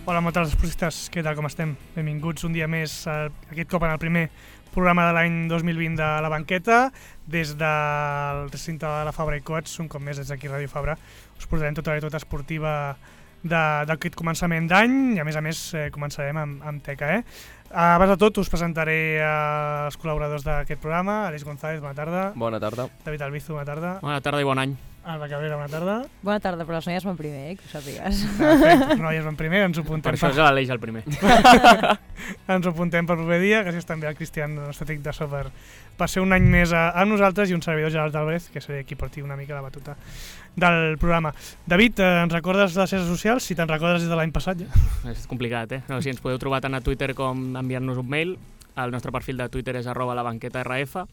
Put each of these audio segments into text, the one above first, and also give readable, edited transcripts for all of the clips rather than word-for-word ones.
Hola, moltes esportistes, què tal, com estem? Benvinguts un dia més, aquest cop en el primer programa de l'any 2020 de La Banqueta. Des del recinte de la Fabra i Coats, un cop més des d'aquí Ràdio Fabra, us portarem tota la esportiva d'aquest començament d'any i a més començarem amb teca. Abans de tot us presentaré els col·laboradors d'aquest programa. Aleix González, bona tarda. Bona tarda. David Albizu, bona tarda. Bona tarda i bon any. Alba Cabrera, bona tarda. Bona tarda, però les noies van primer, que ho sàpigues. Perfecte, les noies van primer, ens ho apuntem. Per això és l'Aleix el primer. Ens ho apuntem per proper dia. Gràcies també al Cristian, el nostre tècnic de so, per ser un any més amb nosaltres, i un servidor, Gerard Álvarez, que seré qui porti una mica la batuta del programa. David, ens recordes les xarxes socials? Si te'n recordes des de l'any passat, ja. És complicat, eh? No, si ens podeu trobar tant a Twitter com enviar-nos un mail. El nostre perfil de Twitter és @labanquetarf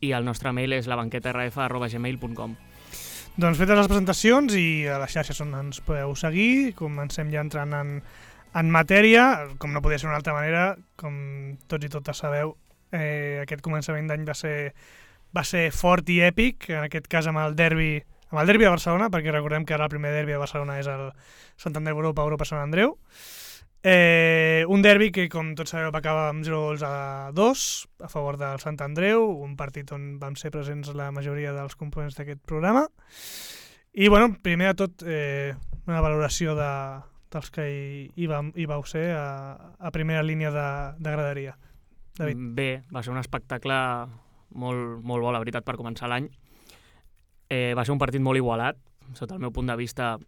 i el nostre mail és labanquetarf@gmail.com. Doncs fetes les presentacions i a les xarxes on ens podeu seguir, comencem ja entrant en matèria. Com no podia ser d'una altra manera, com tots i totes sabeu, aquest començament d'any va ser fort i èpic, en aquest cas amb el derbi de Barcelona, perquè recordem que ara el primer derbi de Barcelona és el Santander Europa Sant Andreu. Un derbi que, com tots sabeu, va acabar amb 0-2 a favor del Sant Andreu, un partit on vam ser presents la majoria dels components d'aquest programa. I, bueno, primer de tot, una valoració dels que hi vau ser a primera línia de graderia. David. Bé, va ser un espectacle molt bo, la veritat, per començar l'any. Va ser un partit molt igualat, sota el meu punt de vista.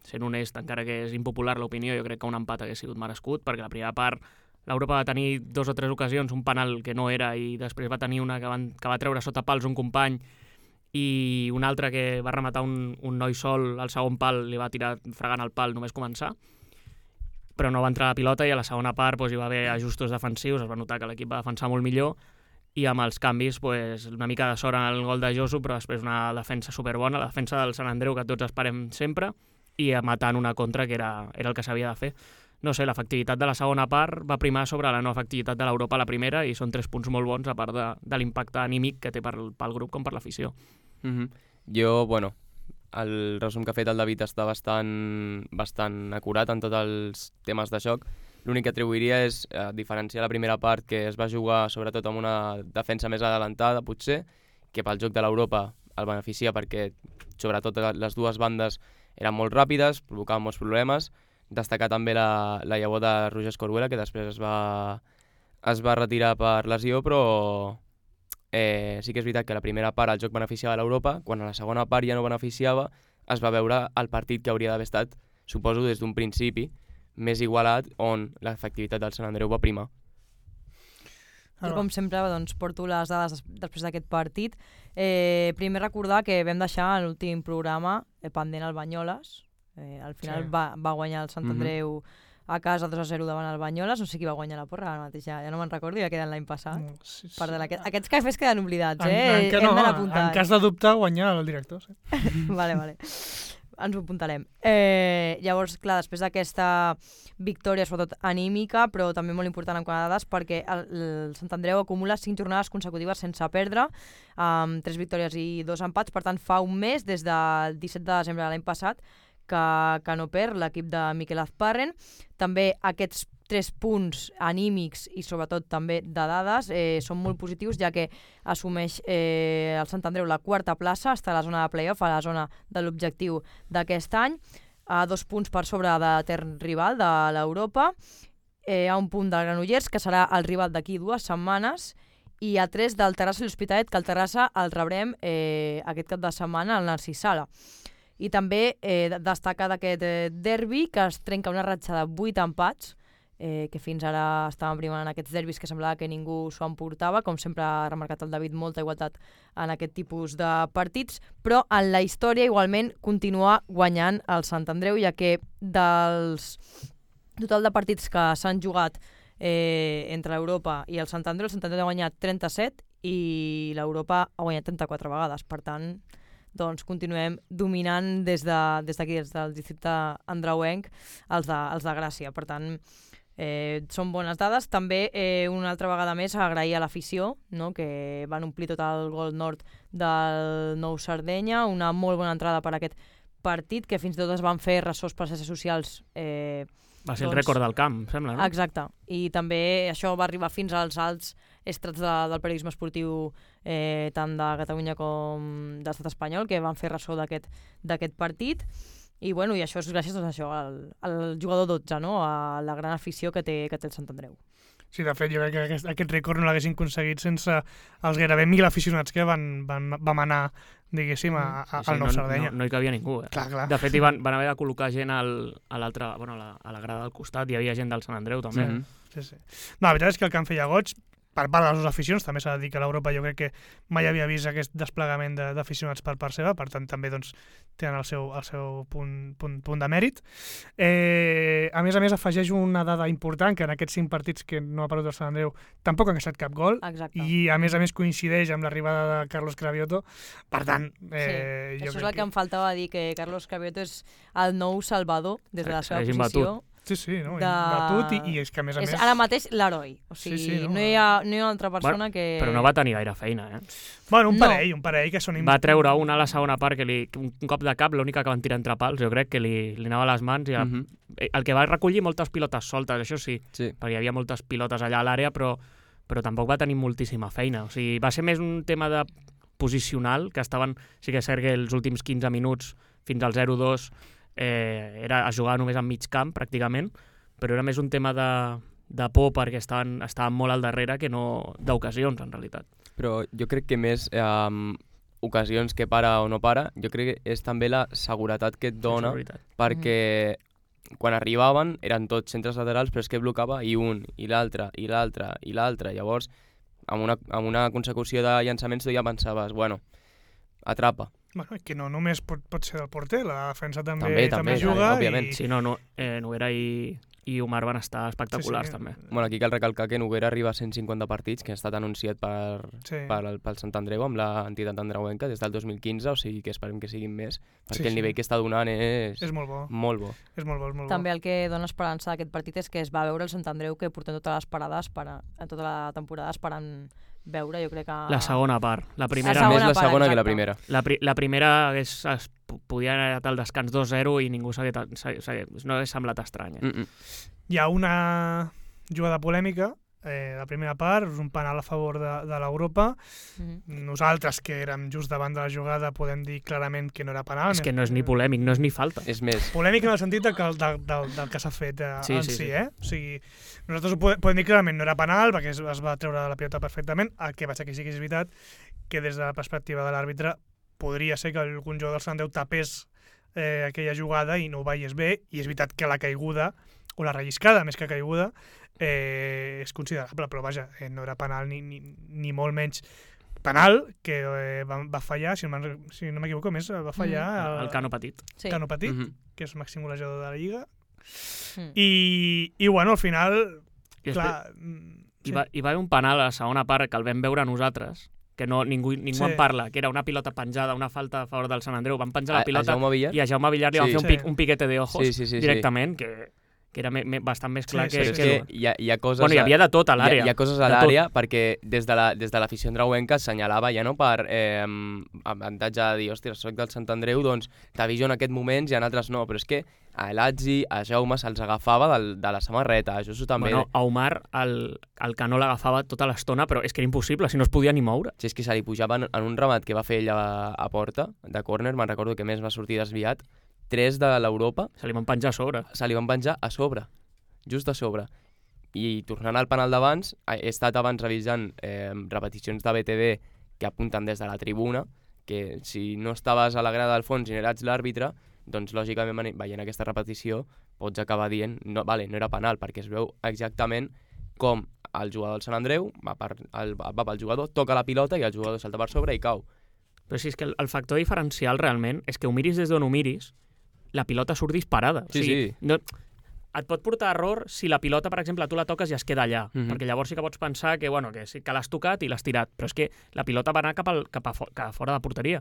Sent honest, encara que és impopular l'opinió, jo crec que un empat hagués sigut merescut, perquè la primera part l'Europa va tenir 2 o 3 ocasions, un penal que no era, i després va tenir una que va treure sota pals un company, i una altra que va rematar un noi sol al segon pal, li va tirar fregant el pal només començar, però no va entrar la pilota, i a la segona part hi va haver ajustos defensius, es va notar que l'equip va defensar molt millor, i amb els canvis una mica de sort en el gol de Josu, però després una defensa superbona, la defensa del Sant Andreu que tots esperem sempre, i matant una contra que era el que s'havia de fer. No sé, l'efectivitat de la segona part va primar sobre la no efectivitat de l'Europa a la primera, i són 3 punts molt bons, a part de l'impacte anímic que té pel grup com per l'afició. Jo, el resum que ha fet el David està bastant acurat en tots els temes de joc. L'únic que atribuiria és diferenciar la primera part, que es va jugar sobretot amb una defensa més adelantada, potser, que pel joc de l'Europa el beneficia perquè sobretot les dues bandes eren molt ràpides, provocaven molts problemes. Destacar també la llavor de Roger Escoruela, que després es va retirar per lesió, però sí que és veritat que la primera part el joc beneficiava l'Europa, quan a la segona part ja no beneficiava, es va veure el partit que hauria d'haver estat, suposo des d'un principi, més igualat, on l'efectivitat del Sant Andreu va primar. Jo, com sempre, porto les dades després d'aquest partit. Primer recordar que vam deixar l'últim programa pendent el Banyoles. Al final va guanyar el Sant Andreu a casa 2-0 davant el Banyoles. No sé qui va guanyar la porra ara mateix, ja no me'n recordo, ja queden l'any passat. Sí. Aquests cafès queden oblidats, hem d'anar apuntant. En cas de dubte, guanyar el director. Sí. Vale. Ens ho apuntarem. Llavors, clar, després d'aquesta victòria, sobretot anímica, però també molt important en quant a dades, perquè el Sant Andreu acumula 5 jornades consecutives sense perdre, amb 3 victòries i 2 empats. Per tant, fa un mes, des del 17 de desembre de l'any passat, que no perd l'equip de Miquel Azparren. També aquests 3 punts anímics i sobretot també de dades són molt positius, ja que assumeix el Sant Andreu la 4a plaça, està a la zona de play-off, a la zona de l'objectiu d'aquest any, a 2 punts per sobre de l'etern rival de l'Europa, a un punt del Granollers, que serà el rival d'aquí 2 setmanes, i a 3 del Terrassa i l'Hospitalet, que el Terrassa el rebrem aquest cap de setmana al Narcís Sala. I també destaca d'aquest derbi que es trenca una ratxa de 8 empats, que fins ara estàvem primant en aquests derbis que semblava que ningú s'ho emportava. Com sempre ha remarcat el David, molta igualtat en aquest tipus de partits, però en la història igualment continua guanyant el Sant Andreu, ja que dels total de partits que s'han jugat entre l'Europa i el Sant Andreu ha guanyat 37 i l'Europa ha guanyat 34 vegades. Per tant, continuem dominant des d'aquí, des del districte andreuenc, els de Gràcia. Per tant, són bones dades. També una altra vegada més agrair a l'afició, no?, que van omplir tot el Gol Nord del Nou Sardenya, una molt bona entrada per aquest partit, que fins i tot es van fer ressos per les xarxes socials Va ser el rècord del camp, sembla, no? Exacte. I també això va arribar fins als alts estrats del periodisme esportiu tant de Catalunya com de l'estat espanyol, que van fer ressò d'aquest partit. I bueno, i això és gràcies a això, al jugador 12, no? A la gran afició que té el Sant Andreu. Sí, de fet, jo crec que aquest rècord no l'haguessin aconseguit sense els gairebé 1.000 aficionats que vam anar, diguéssim, al Nou Sardenya. No hi cabia ningú. Clar. De fet, van haver de col·locar gent a l'altra, bueno, a la grada del costat, hi havia gent del Sant Andreu també. Sí. No, la veritat és que el camp feia goig, per part de les dues aficions, també s'ha de dir que l'Europa jo crec que mai havia vist aquest desplegament d'aficionats per part seva, per tant també doncs, tenen el seu punt de mèrit. A més, afegeix una dada important, que en aquests 5 partits que no ha perdut el Sant Andreu tampoc han estat cap gol. Exacte. I a més coincideix amb l'arribada de Carlos Cravioto, per tant... Això és el que em faltava dir, que Carlos Cravioto és el nou salvador des de la seva posició. Sí, no? Batut i és que a més... És ara mateix l'heroi. O sigui, no hi ha una altra persona que... Però no va tenir gaire feina, eh? Bueno, un parell que són... Va treure una a la segona part, que un cop de cap, l'única que van tirar entre pals, jo crec que li anava a les mans. El que va recollir moltes pilotes soltes, això sí, perquè hi havia moltes pilotes allà a l'àrea, però tampoc va tenir moltíssima feina. O sigui, va ser més un tema de posicional, que estaven... Sí que és cert que els últims 15 minuts fins al 0-2 era a jugar només en mig camp, pràcticament, però era més un tema de por perquè estaven molt al darrere que no d'ocasions, en realitat. Però jo crec que més ocasions que para o no para, jo crec que és també la seguretat que et dona, perquè quan arribaven eren tots centres laterals, però és que blocava i un, i l'altre, i l'altre, i l'altre. Llavors, amb una consecució de llançaments tu ja pensaves, bueno, atrapa. Bueno, que no només pot ser del porter, la defensa també juga. Òbviament. Sí, Noguera i Omar van estar espectaculars, també. Bueno, aquí cal recalcar que Noguera arriba a 150 partits, que ha estat anunciat pel Sant Andreu amb l'entitat andreuenca des del 2015, o sigui que esperem que siguin més, perquè el nivell que està donant és molt bo. Molt bo. És molt bo. També el que dona esperança d'aquest partit és que es va veure el Sant Andreu que portem totes les parades, tota la temporada esperant veure, jo crec que... La segona part. La primera... Més la segona que la primera. La primera es podia anar al descans 2-0 i ningú no hagués semblat estrany. Hi ha una jugada polèmica, la primera part, és un penal a favor de l'Europa. Nosaltres, que érem just davant de la jugada, podem dir clarament que no era penal. És que no és ni polèmic, no és ni falta. És més. Polèmic en el sentit del que s'ha fet en si. O sigui, nosaltres ho podem dir clarament, no era penal, perquè es va treure de la pilota perfectament. El que passa que sí que és veritat que des de la perspectiva de l'àrbitre podria ser que algun jugador del Sant Andreu tapés aquella jugada i no ho veiés bé, i és veritat que la caiguda, o la relliscada més que caiguda, és considerable, però vaja, no era penal ni molt menys. Penal que va fallar, si no m'equivoco més, va fallar el Cano Petit. Sí. Cano Petit, que és màxim golejador de la Lliga. I bueno, al final... clar, hi va haver un penal a la segona part que el vam veure nosaltres, que ningú en parla, que era una pilota penjada, una falta a favor del Sant Andreu. Van penjar la pilota i a Jaume Villar li van fer un piquete de ojos directament, que era bastant més clar que... Hi ha coses... Bueno, hi havia de tot a l'àrea. Hi ha coses a l'àrea perquè des de l'afició andreuenca assenyalava ja no per avantatge de dir, hòstia, soc del Sant Andreu, doncs t'aviso en aquest moment i en altres no, però és que a Elatzi, a Jaume se'ls agafava de la samarreta, això també... Bueno, a Omar el Cano l'agafava tota l'estona, però és que era impossible, si no es podia ni moure. Si és que se li pujava en un remat que va fer ell a porta, de córner, me'n recordo que més va sortir desviat, 3 de l'Europa... Se li van penjar a sobre. Se li van penjar a sobre, just a sobre. I tornant al penal d'abans, he estat abans revisant repeticions de BTV que apunten des de la tribuna, que si no estaves a la grada del fons i no eres l'àrbitre, doncs lògicament veient aquesta repetició pots acabar dient no era penal, perquè es veu exactament com el jugador del Sant Andreu va pel jugador, toca la pilota i el jugador salta per sobre i cau. Però sí, és que el factor diferencial realment és que ho miris des d'on ho miris, la pilota surt disparada. Sí. No, et pot portar error si la pilota, per exemple, tu la toques i es queda allà, perquè llavors sí que pots pensar que l'has tocat i l'has tirat, però és que la pilota va anar cap a fora de porteria.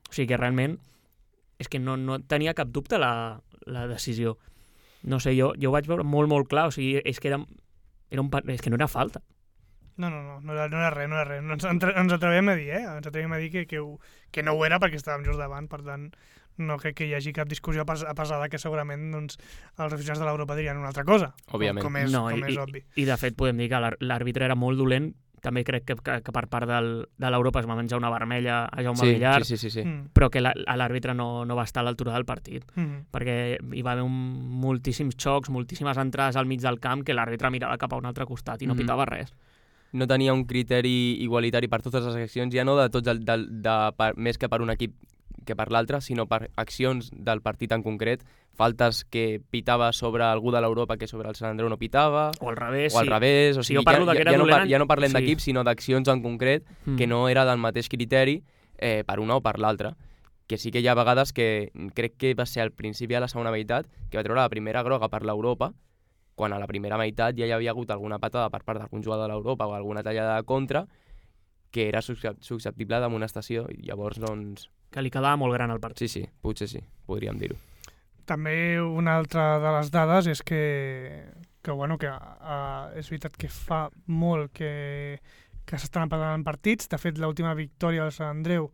O sigui que realment és que no tenia cap dubte la decisió. No sé, jo ho vaig veure molt, molt clar, o sigui, és que és que no era falta. No era res. Ens atrevem a dir, Ens atrevem a dir que no ho era perquè estàvem just davant, per tant, no crec que hi hagi cap discussió a pesar que segurament doncs, els aficionats de l'Europa dirien una altra cosa, Òbviament. com és obvi. I de fet podem dir que l'àrbitre era molt dolent. També crec que per part de l'Europa es va menjar una vermella a Jaume Villar, Sí. però que l'àrbitre no va estar a l'altura del partit, perquè hi va haver moltíssims xocs, moltíssimes entrades al mig del camp que l'àrbitre mirava cap a un altre costat i no pitava res. No tenia un criteri igualitari per totes les accions, ja no de tots més que per un equip que per l'altre, sinó per accions del partit en concret, faltes que pitava sobre algú de l'Europa que sobre el Sant Andreu no pitava, o al revés, o sigui, jo parlo que era dolent... ja no parlem d'equips, sinó d'accions en concret que no era del mateix criteri per una o per l'altra. Que sí que hi ha vegades que crec que va ser al principi de la segona meitat que va treure la primera groga per l'Europa, quan a la primera meitat ja hi havia hagut alguna patada per part d'algun jugador de l'Europa o alguna tallada de contra que era susceptible d'amonestació i llavors doncs... Que li quedava molt gran el partit. Sí, potser sí, podríem dir-ho. També una altra de les dades és que és veritat que fa molt que s'estan empatant partits. De fet, l'última victòria del Sant Andreu,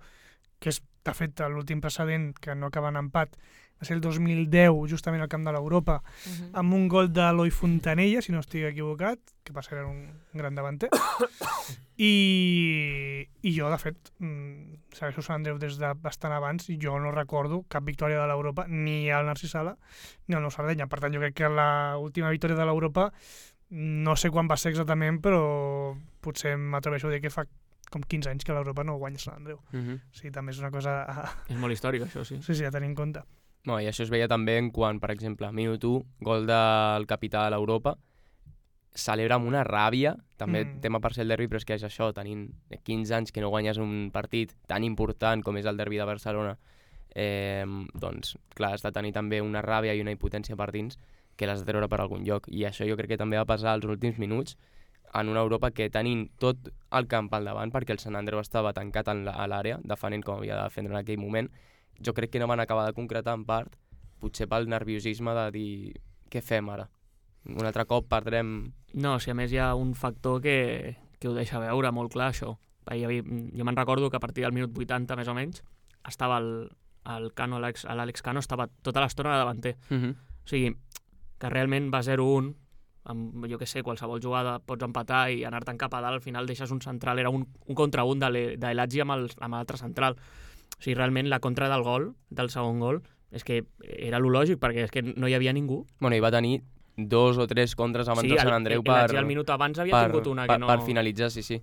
que és de fet l'últim precedent que no acaba en empat, va ser el 2010, justament al camp de l'Europa, amb un gol d'Eloi Fontanella, si no estic equivocat, que va ser un gran davanter. I jo, de fet, segueixo Sant Andreu des de bastant abans i jo no recordo cap victòria de l'Europa, ni al Narcís Sala ni al Nou Sardenya. Per tant, jo crec que l'última victòria de l'Europa no sé quan va ser exactament, però potser m'atreveixo a dir que fa com 15 anys que l'Europa no guanya Sant Andreu. Sí, també és una cosa... És molt històric, això, sí. Sí, a tenir en compte. No, i això es veia també en quan, per exemple, minut 1, gol del capità de l'Europa, celebra amb una ràbia, també tema per ser el derbi, però és que és això, tenint 15 anys que no guanyes un partit tan important com és el derbi de Barcelona, doncs, clar, has de tenir també una ràbia i una impotència per dins que l'has de treure per algun lloc. I això jo crec que també va passar als últims minuts en una Europa que tenint tot el camp al davant, perquè el Sant Andreu estava tancat a l'àrea, defendent com havia de defendre en aquell moment, jo crec que no van acabar de concretar en part, potser pel nerviosisme de dir què fem ara? Un altre cop perdrem... No, si a més hi ha un factor que ho deixa veure molt clar, això. Jo me'n recordo que a partir del minut 80, més o menys, estava el Cano, l'Àlex Cano, estava tota l'estona de davanter. O sigui, que realment va 0-1, amb, jo què sé, qualsevol jugada pots empatar i anar-te'n cap a dalt, al final deixes un central, era un contra un d'Elatzi amb l'altre central. O sigui, realment la contra del gol, del segon gol, és que era lo lògic, perquè és que no hi havia ningú. Bueno, i va tenir 2 o 3 contres abans del Sant Andreu el minut abans havia tingut una que no... Per finalitzar, sí.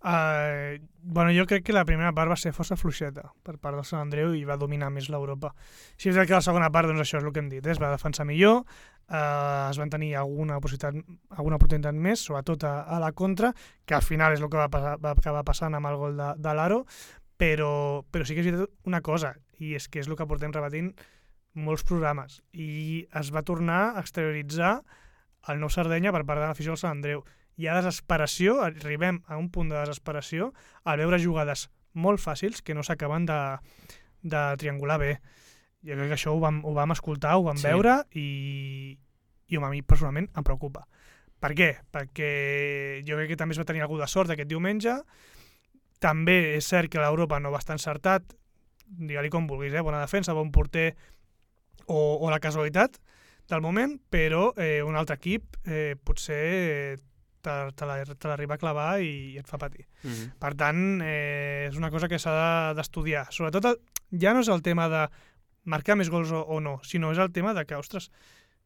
Jo crec que la primera part va ser força fluixeta per part del Sant Andreu i va dominar més l'Europa. Si és que la segona part, doncs això és el que hem dit, es va defensar millor, es van tenir alguna oportunitat més, sobretot a la contra, que al final és el que va acabar passant amb el gol de l'Aro, però sí que és veritat una cosa, i és que és el que portem repetint molts programes, i es va tornar a exterioritzar el Nou Sardenya per part de l'afició del Sant Andreu. Hi ha desesperació, arribem a un punt de desesperació al veure jugades molt fàcils que no s'acaben de triangular bé. Jo crec que això ho vam escoltar, ho vam veure i a mi personalment em preocupa. Per què? Perquè jo crec que també es va tenir algú de sort aquest diumenge. També és cert que l'Europa no va estar encertat, digue-li com vulguis, bona defensa, bon porter o la casualitat del moment, però un altre equip potser te l'arriba a clavar i et fa patir. Per tant, és una cosa que s'ha d'estudiar. Sobretot, ja no és el tema de marcar més gols o no, sinó és el tema de que, ostres,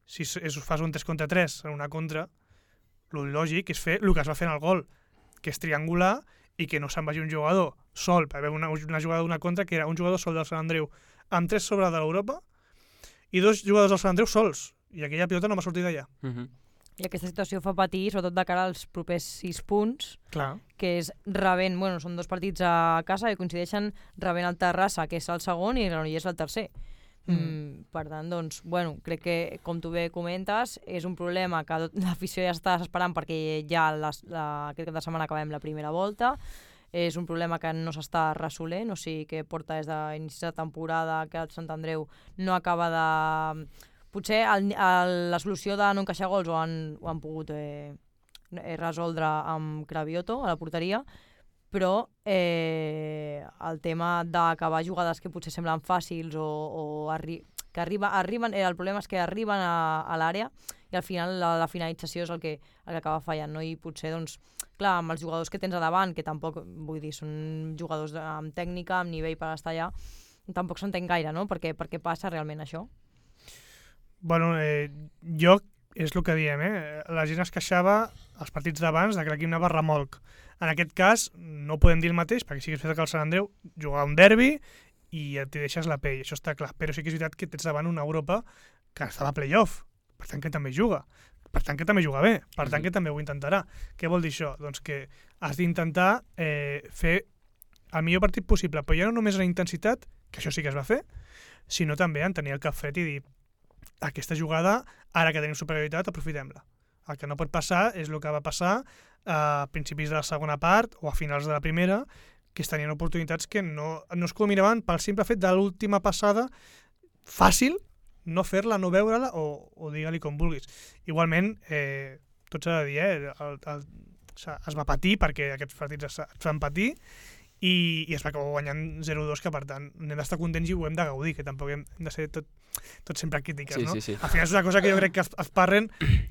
si fas un 3 contra 3 en una contra, el lògic és fer el que es va fer en el gol, que és triangular i que no se'n vagi un jugador sol, per haver una jugada d'una contra que era un jugador sol del Sant Andreu amb 3 sobre de l'Europa i 2 jugadors del Sant Andreu sols, i aquella pilota no va sortir d'allà. I aquesta situació fa patir, sobretot de cara als propers 6 punts, clar, que és rebent, són 2 partits a casa i coincideixen rebent el Terrassa, que és el segon, i Granollers el tercer. Per tant, doncs, crec que, com tu bé comentes, és un problema que l'afició ja està esperant perquè ja aquest cap de setmana acabem la primera volta. És un problema que no s'està resolent, o sigui que porta des d'inici de temporada que el Sant Andreu no acaba de... Potser la solució de no encaixar gols ho han pogut resoldre amb Cravioto a la porteria, però el tema d'acabar jugades que potser semblen fàcils que arriben, el problema és que arriben a l'àrea i al final la finalització és el que acaba fallant, no? I potser, doncs, clar, amb els jugadors que tens a davant, que tampoc, vull dir, són jugadors amb tècnica, amb nivell per estar allà, tampoc s'entén gaire, no? Per què passa realment això? Bueno, jo, és el que diem, la gent es queixava als partits d'abans de que l'equip anava remolc. En aquest cas, no podem dir el mateix, perquè sí que és veritat que el Sant Andreu jugava un derbi i et deixes la pell, això està clar. Però sí que és veritat que tens davant una Europa que estava a play-off, per tant que també juga. Per tant que també juga bé, per tant que també ho intentarà. Què vol dir això? Doncs que has d'intentar fer el millor partit possible, però ja no només en intensitat, que això sí que es va fer, sinó també en tenir el cap fred i dir aquesta jugada, ara que tenim superioritat, aprofitem-la. El que no pot passar és el que va passar a principis de la segona part o a finals de la primera, que es tenien oportunitats que no es culminaven pel simple fet de l'última passada fàcil, no fer-la, no veure-la o digue-li com vulguis. Igualment, tot s'ha de dir, es va patir perquè aquests partits es van patir i es va acabar guanyant 0-2, que per tant n'hem d'estar contents i ho hem de gaudir, que tampoc hem de ser tot sempre crítiques, sí, no? Sí. Al final és una cosa que jo crec que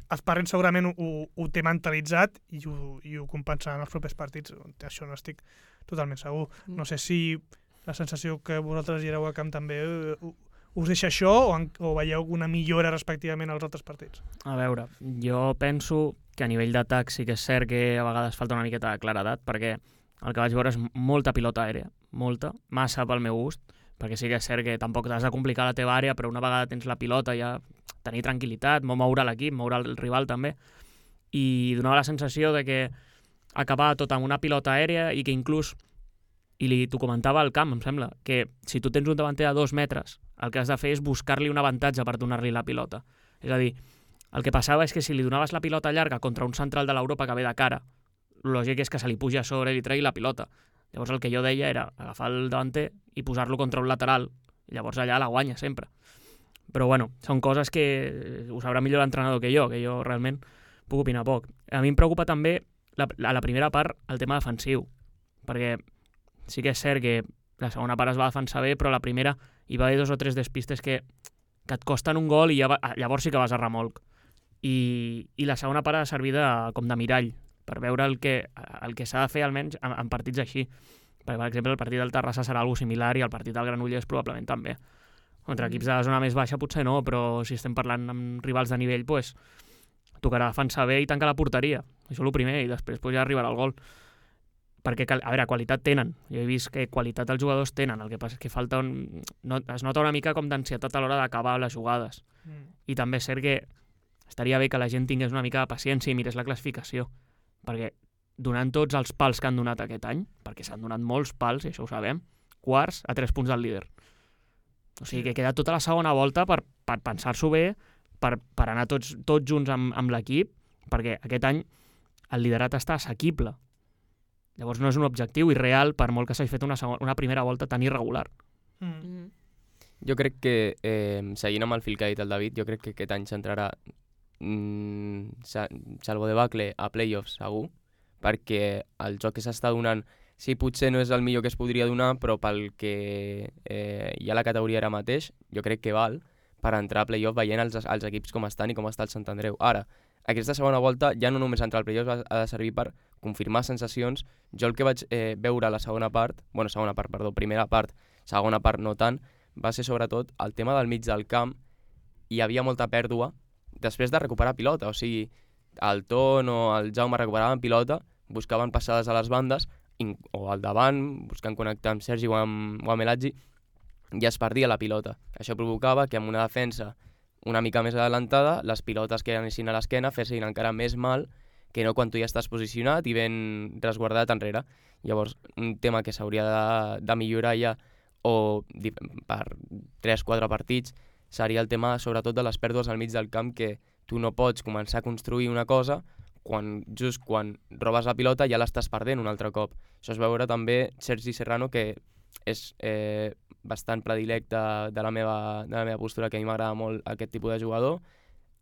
Esparren segurament ho té mentalitzat i ho compensarà en els propers partits. Això no estic totalment segur. No sé si la sensació que vosaltres hi éreu al camp també us deixa això o veieu una millora respectivament als altres partits? A veure, jo penso que a nivell d'atac sí que és cert que a vegades falta una miqueta de claredat, perquè el que vaig veure és molta pilota aèria, molta, massa pel meu gust, perquè sí que és cert que tampoc t'has de complicar la teva àrea, però una vegada tens la pilota ja tenir tranquil·litat, moure l'equip, moure el rival també, i donava la sensació de que acabava tot amb una pilota aèria i que inclús, i t'ho comentava al camp, em sembla, que si tu tens un davanter a 2 metres, el que has de fer és buscar-li un avantatge per donar-li la pilota. És a dir, el que passava és que si li donaves la pilota llarga contra un central de l'Europa que ve de cara, el lògic és que se li puja a sobre i li tregui la pilota. Llavors el que jo deia era agafar el davanter i posar-lo contra un lateral, i llavors allà la guanya sempre. Però bueno, són coses que ho sabrà millor l'entrenador que jo realment puc opinar poc. A mi em preocupa també a la primera part el tema defensiu, perquè sí que és cert que la segona part es va defensar bé, però la primera hi va haver 2 o 3 despistes que et costen un gol i llavors sí que vas a remolc. I la segona part ha de servir com de mirall, per veure el que s'ha de fer almenys en partits així. Perquè, per exemple, el partit del Terrassa serà algo similar i el partit del Granollers probablement també. Contra equips de la zona més baixa potser no, però si estem parlant amb rivals de nivell, pues, tocarà defensar bé i tancar la porteria. Això és el primer, i després ja arribarà el gol. Perquè, a veure, qualitat tenen. Jo he vist que qualitat els jugadors tenen, el que passa és que falta es nota una mica com d'ansietat a l'hora d'acabar les jugades. I també és cert que estaria bé que la gent tingués una mica de paciència i mirés la classificació, perquè donant tots els pals que han donat aquest any, perquè s'han donat molts pals, i això ho sabem, quarts a 3 punts del líder. O sigui que queda tota la segona volta per pensar-s'ho bé, per anar tots junts amb l'equip, perquè aquest any el liderat està assequible. Llavors no és un objectiu irreal per molt que s'hagi fet una primera volta tan irregular. Jo crec que, seguint amb el fil que ha dit el David, jo crec que aquest any s'entrarà salvo de bacle a playoffs segur, perquè el joc que s'està donant, sí, potser no és el millor que es podria donar, però pel que hi ha la categoria ara mateix, jo crec que val per entrar a playoff veient els equips com estan i com està el Sant Andreu. Ara, aquesta segona volta ja no només entrar al playoff ha de servir per confirmar sensacions. Jo el que vaig veure a la primera part, segona part no tant, va ser sobretot el tema del mig del camp. Hi havia molta pèrdua després de recuperar pilota, o sigui, el Ton o el Jaume recuperaven pilota, buscaven passades a les bandes, o al davant, buscant connectar amb Sergi o amb Eladji, i es perdia la pilota. Això provocava que amb una defensa una mica més adelantada, les pilotes que anessin a l'esquena fessin encara més mal que no quan tu ja estàs posicionat i ben resguardat enrere. Llavors, un tema que s'hauria de millorar ja, o per 3-4 partits, seria el tema sobretot de les pèrdues al mig del camp, que tu no pots començar a construir una cosa just quan robes la pilota ja l'estàs perdent un altre cop. Això es veure també Sergi Serrano, que és bastant predilecte de la meva postura, que a mi m'agrada molt aquest tipus de jugador,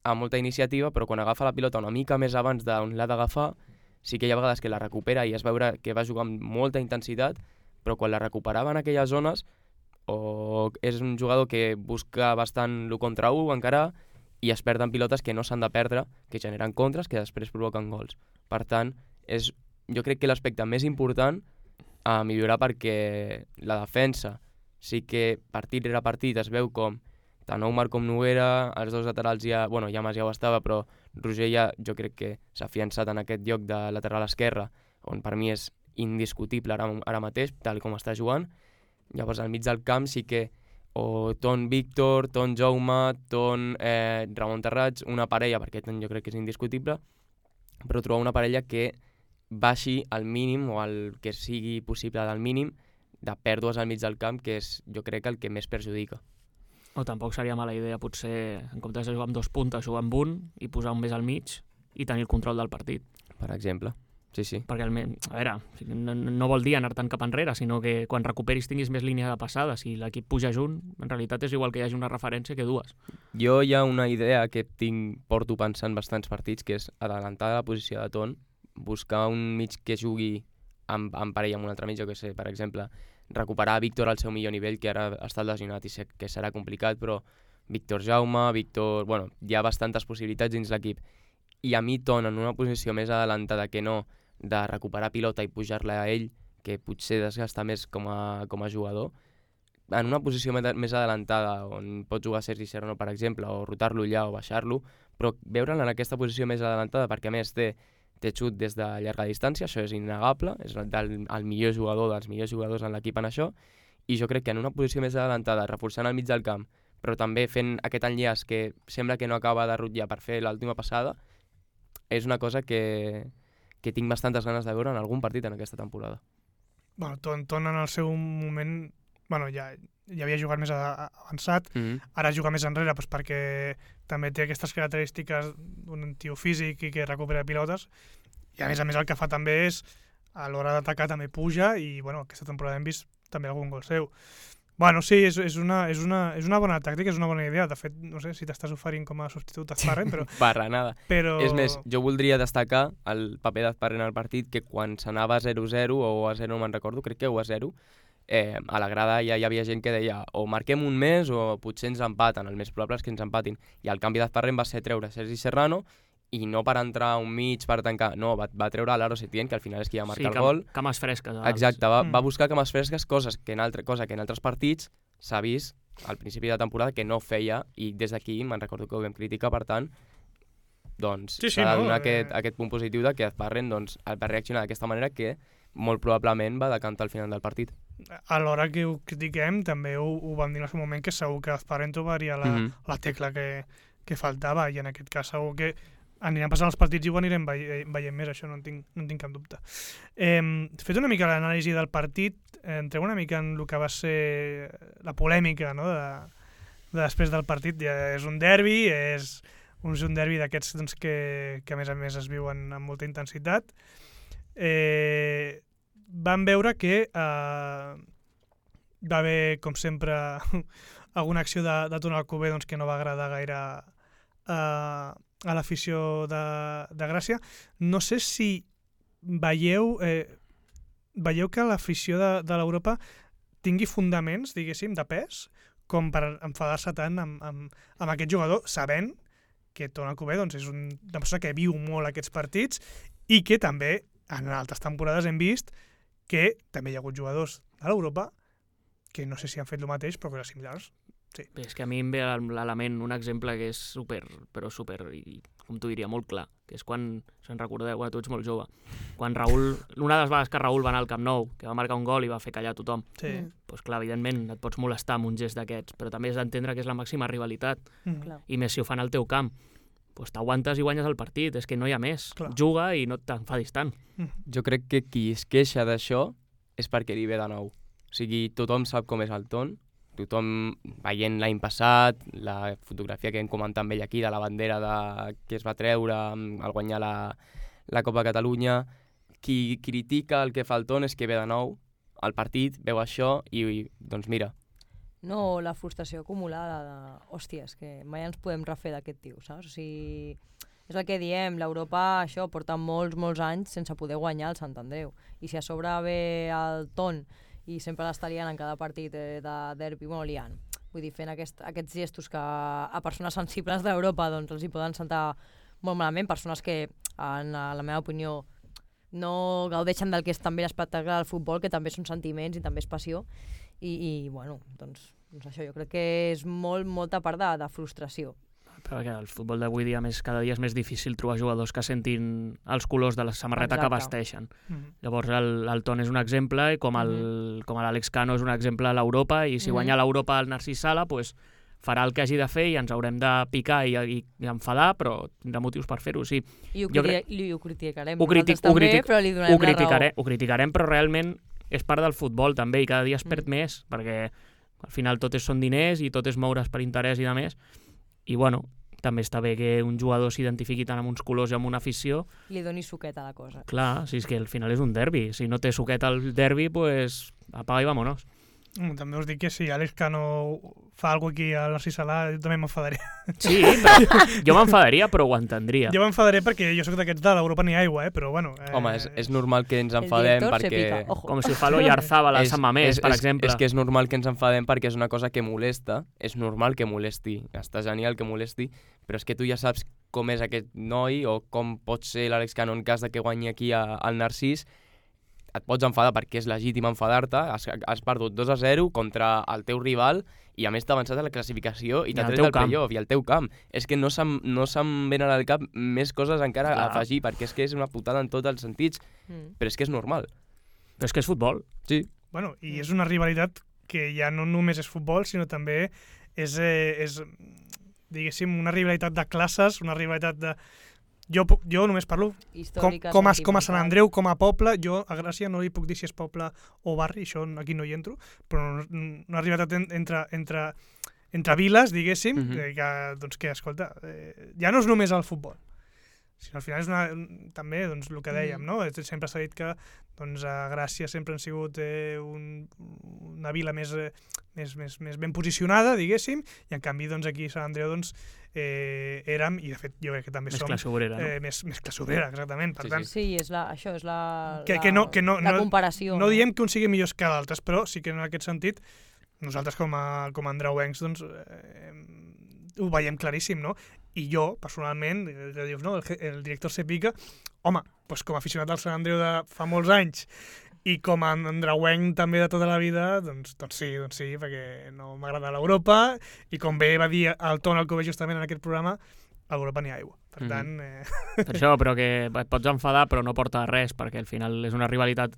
amb molta iniciativa, però quan agafa la pilota una mica més abans d'on l'ha d'agafar, sí que hi ha vegades que la recupera i es veure que va jugar amb molta intensitat, però quan la recuperava en aquelles zones, o és un jugador que busca bastant l'1 contra 1 encara i es perden pilotes que no s'han de perdre, que generen contres, que després provoquen gols. Per tant, jo crec que l'aspecte més important a millorar, perquè la defensa sí que partit rere partit es veu com tant Oumar com Noguera, els dos laterals Llamas ja ho estava, però Roger ja jo crec que s'ha afiançat en aquest lloc de lateral esquerre, on per mi és indiscutible ara mateix, tal com està jugant. Llavors al mig del camp sí que o Ton Víctor, Ton Jaume, Ton Ramon Terrats, una parella, perquè Ton jo crec que és indiscutible, però trobar una parella que baixi al mínim o el que sigui possible del mínim de pèrdues al mig del camp, que és jo crec el que més perjudica. O tampoc seria mala idea potser, en comptes de jugar amb 2 puntes, jugar amb un i posar un més al mig i tenir el control del partit. Per exemple, sí. Perquè, a veure, no vol dir anar tant cap enrere, sinó que quan recuperis tinguis més línia de passada. Si l'equip puja junt, en realitat és igual que hi hagi una referència que dues. Jo hi ha una idea que porto pensant bastants partits, que és adelantar la posició de Ton, buscar un mig que jugui en parella amb un altre mig, jo que sé, per exemple, recuperar Víctor al seu millor nivell, que ara està lesionat i sé que serà complicat, però Víctor Jaume, hi ha bastantes possibilitats dins l'equip. I a mi Ton en una posició més adelantada que no de recuperar pilota i pujar-la a ell, que potser desgasta més com a jugador, en una posició més adelantada on pot jugar Sergi Serrano, per exemple, o rotar-lo allà o baixar-lo, però veure'l en aquesta posició més adelantada perquè a més té xut des de llarga distància, això és innegable, és el millor jugador dels millors jugadors en l'equip en això, i jo crec que en una posició més adelantada, reforçant al mig del camp, però també fent aquest enllaç que sembla que no acaba de rutllar per fer l'última passada, és una cosa que tinc bastantes ganes de veure en algun partit en aquesta temporada. Ton en el seu moment ja havia jugat més avançat, ara juga més enrere perquè també té aquestes característiques d'un tio físic i que recupera pilotes, i a més el que fa també és a l'hora d'atacar també puja i aquesta temporada hem vist també algun gol seu. Sí, és una bona tàctica, és una bona idea. De fet, no sé si t'estàs oferint com a substitut d'Azparren, però... Barra nada. És més, jo voldria destacar el paper d'Azparren al partit, que quan s'anava 0-0 o a 0, no me'n recordo, crec que 1-0, a la grada ja hi havia gent que deia o marquem un més o potser ens empaten, el més probable és que ens empatin. I el canvi d'Azparren va ser treure Sergi Serrano i no per entrar un mig, per tancar, no, va treure l'Aro Setién, que al final és qui va marcar el gol. Cames fresques. Exacte, va buscar cames fresques, cosa que en altres partits s'ha vist al principi de temporada que no feia, i des d'aquí me'n recordo que ho vam criticar, per tant, s'ha de donar aquest punt positiu de que Azparren va reaccionar d'aquesta manera que molt probablement va decantar al final del partit. A l'hora que ho critiquem també ho vam dir en el seu moment, que segur que Azparren trobaria la tecla que faltava, i en aquest cas segur que anirem passant els partits i ho anirem veient més, això no en tinc cap dubte. Fet una mica l'anàlisi del partit, entrem una mica en el que va ser la polèmica, no?, de després del partit. És un derbi, és un derbi d'aquests que a més es viuen amb molta intensitat. Vam veure que va haver, com sempre, alguna acció de Ton Alcover que no va agradar gaire a l'afició de Gràcia. No sé si veieu que l'afició de l'Europa tingui fundaments, diguéssim, de pes, com per enfadar-se tant amb aquest jugador, sabent que Ton Alcover és una persona que viu molt aquests partits i que també en altres temporades hem vist que també hi ha hagut jugadors de l'Europa que no sé si han fet el mateix, però coses similars. Sí. Bé, és que a mi em ve a la ment un exemple que és super, i com t'ho diria, molt clar, que és quan, se'n recordeu, tu ets molt jove, quan Raül, una de les vegades que Raül va anar al Camp Nou, que va marcar un gol i va fer callar tothom, doncs clar, evidentment et pots molestar amb un gest d'aquests, però també has d'entendre que és la màxima rivalitat, i més si ho fan al teu camp, doncs t'aguantes i guanyes el partit, és que no hi ha més, juga i no t'enfadis tant. Jo crec que qui es queixa d'això és perquè li ve de nou. O sigui, tothom sap com és el Ton, tothom veient l'any passat, la fotografia que hem comentat amb ell aquí de la bandera que es va treure al guanyar la Copa Catalunya, qui critica el que fa el Ton és que ve de nou al partit, veu això i doncs mira. No, la frustració acumulada de, hòstia, és que mai ens podem refer d'aquest tio, saps? O sigui, És el que diem, l'Europa això porta molts anys sense poder guanyar el Sant Andreu. I si a sobre ve el Ton i sempre l'està liant en cada partit de derbi, liant. Vull dir, fent aquests gestos que a persones sensibles d'Europa doncs, els hi poden sentar molt malament, persones que, en la meva opinió, no gaudeixen del que és també l'espectacle del futbol, que també són sentiments i també és passió. I bueno, doncs això jo crec que és molta part de frustració. Perquè el futbol d'avui dia cada dia és més difícil trobar jugadors que sentin els colors de la samarreta que vesteixen. Llavors el Ton és un exemple i com l'Àlex Cano és un exemple a l'Europa, i si guanya l'Europa el Narcís Sala, pues, farà el que hagi de fer i ens haurem de picar i enfadar, però tindrà motius per fer-ho, sí. I ho criticarem. Ho criticarem, però realment és part del futbol també, i cada dia es perd més, perquè al final tot són diners i tot és moure's per interès i de més. I bueno, també està bé que un jugador s'identifiqui tant amb uns colors i amb una afició. Li doni suqueta a la cosa. Clar, si és que al final és un derbi. Si no té suqueta al derbi, pues apaga i vámonos. També us dic que si Àlex Cano fa alguna cosa aquí al Narcís Sala, jo també m'enfadaré. Sí, però jo m'enfadaria, però ho entendria. Jo m'enfadaré perquè jo soc d'aquests de l'Europa ni aigua, però bueno... Home, és normal que ens enfadem perquè... Com si fa l'Oyarzabal a Sant Mamés, per exemple. És que és normal que ens enfadem perquè és una cosa que molesta, és normal que molesti, està genial que molesti, però és que tu ja saps com és aquest noi o com pot ser l'Àlex Cano en cas de que guanyi aquí al Narcís. Et pots enfadar perquè és legítim enfadar-te, has perdut 2-0 contra el teu rival i a més t'ha avançat a la classificació i t'ha tret del playoff i al teu camp. És que no se'm venen al cap més coses encara a afegir, perquè és que és una putada en tots els sentits, però és que és normal. Però és que és futbol. Sí. Bueno, i és una rivalitat que ja no només és futbol, sinó també és diguéssim, una rivalitat de classes, una rivalitat de... Jo només parlo com a Sant Andreu, com a poble. Jo a Gràcia no li puc dir si és poble o barri, això aquí no hi entro, però una rivalitat entre viles, diguéssim, que escolta, ja no és només el futbol, sinó al final és també el que dèiem, no? Sempre s'ha dit que a Gràcia sempre han sigut una vila més ben posicionada, diguéssim, i en canvi aquí a Sant Andreu érem, i de fet jo crec que també som... Més classe obrera, no? Més classe obrera, exactament. Per tant, sí, això és la comparació. No diem que un sigui millors que l'altres, però sí que en aquest sentit nosaltres com a andreuencs ho veiem claríssim, no? I jo, personalment, dius, no, el director Sepica, home, com a aficionat al Sant Andreu de fa molts anys i com a andreuenc també de tota la vida, doncs sí, perquè no m'agrada l'Europa i com bé va dir el Ton, el que ho veig justament en aquest programa, a Europa n'hi ha aigua. Per tant... Per això, però que et pots enfadar però no porta res, perquè al final és una rivalitat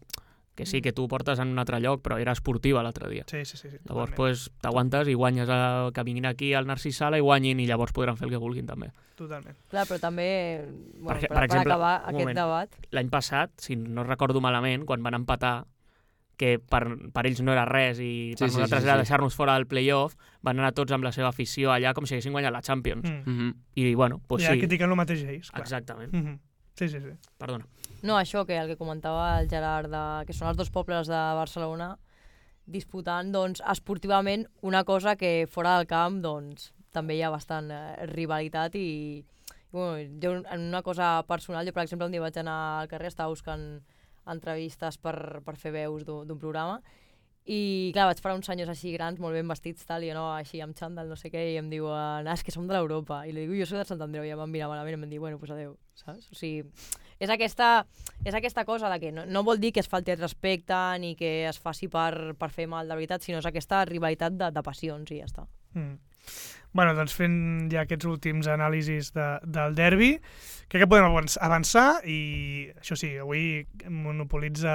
que sí, que tu portes en un altre lloc, però era esportiva l'altre dia. Sí. Llavors t'aguantes i guanyes que vinguin aquí al Narcís Sala i guanyin, i llavors podran fer el que vulguin també. Totalment. Clar, però també, per exemple, acabar aquest debat... L'any passat, si no recordo malament, quan van empatar, que per ells no era res i per nosaltres era deixar-nos fora del playoff, van anar tots amb la seva afició allà com si haguessin guanyat la Champions. I bueno, doncs sí. Ja critiquen el mateix ells, clar. Exactament. Sí. Perdona. No, això, que el que comentava el Gerard, que són els dos pobles de Barcelona disputant, esportivament una cosa que fora del camp, també hi ha bastant rivalitat i bueno, jo en una cosa personal, jo per exemple un dia vaig anar al carrer, estava buscant entrevistes per fer veus d'un programa i clar, vaig parar uns senyors així grans, molt ben vestits, tal, i jo no, així amb xandall, no sé què, i em diuen, és que som de l'Europa, i li dic, jo soc de Sant Andreu, i em van mirar malament i em van dir, bueno, doncs adeu, saps? O sigui, és aquesta cosa de que no vol dir que es falti el respecte ni que es faci per fer mal de veritat, sinó és aquesta rivalitat de passions i ja està. Bueno, doncs fent ja aquests últims anàlisis del derbi, crec que podem avançar i, això sí, avui monopolitza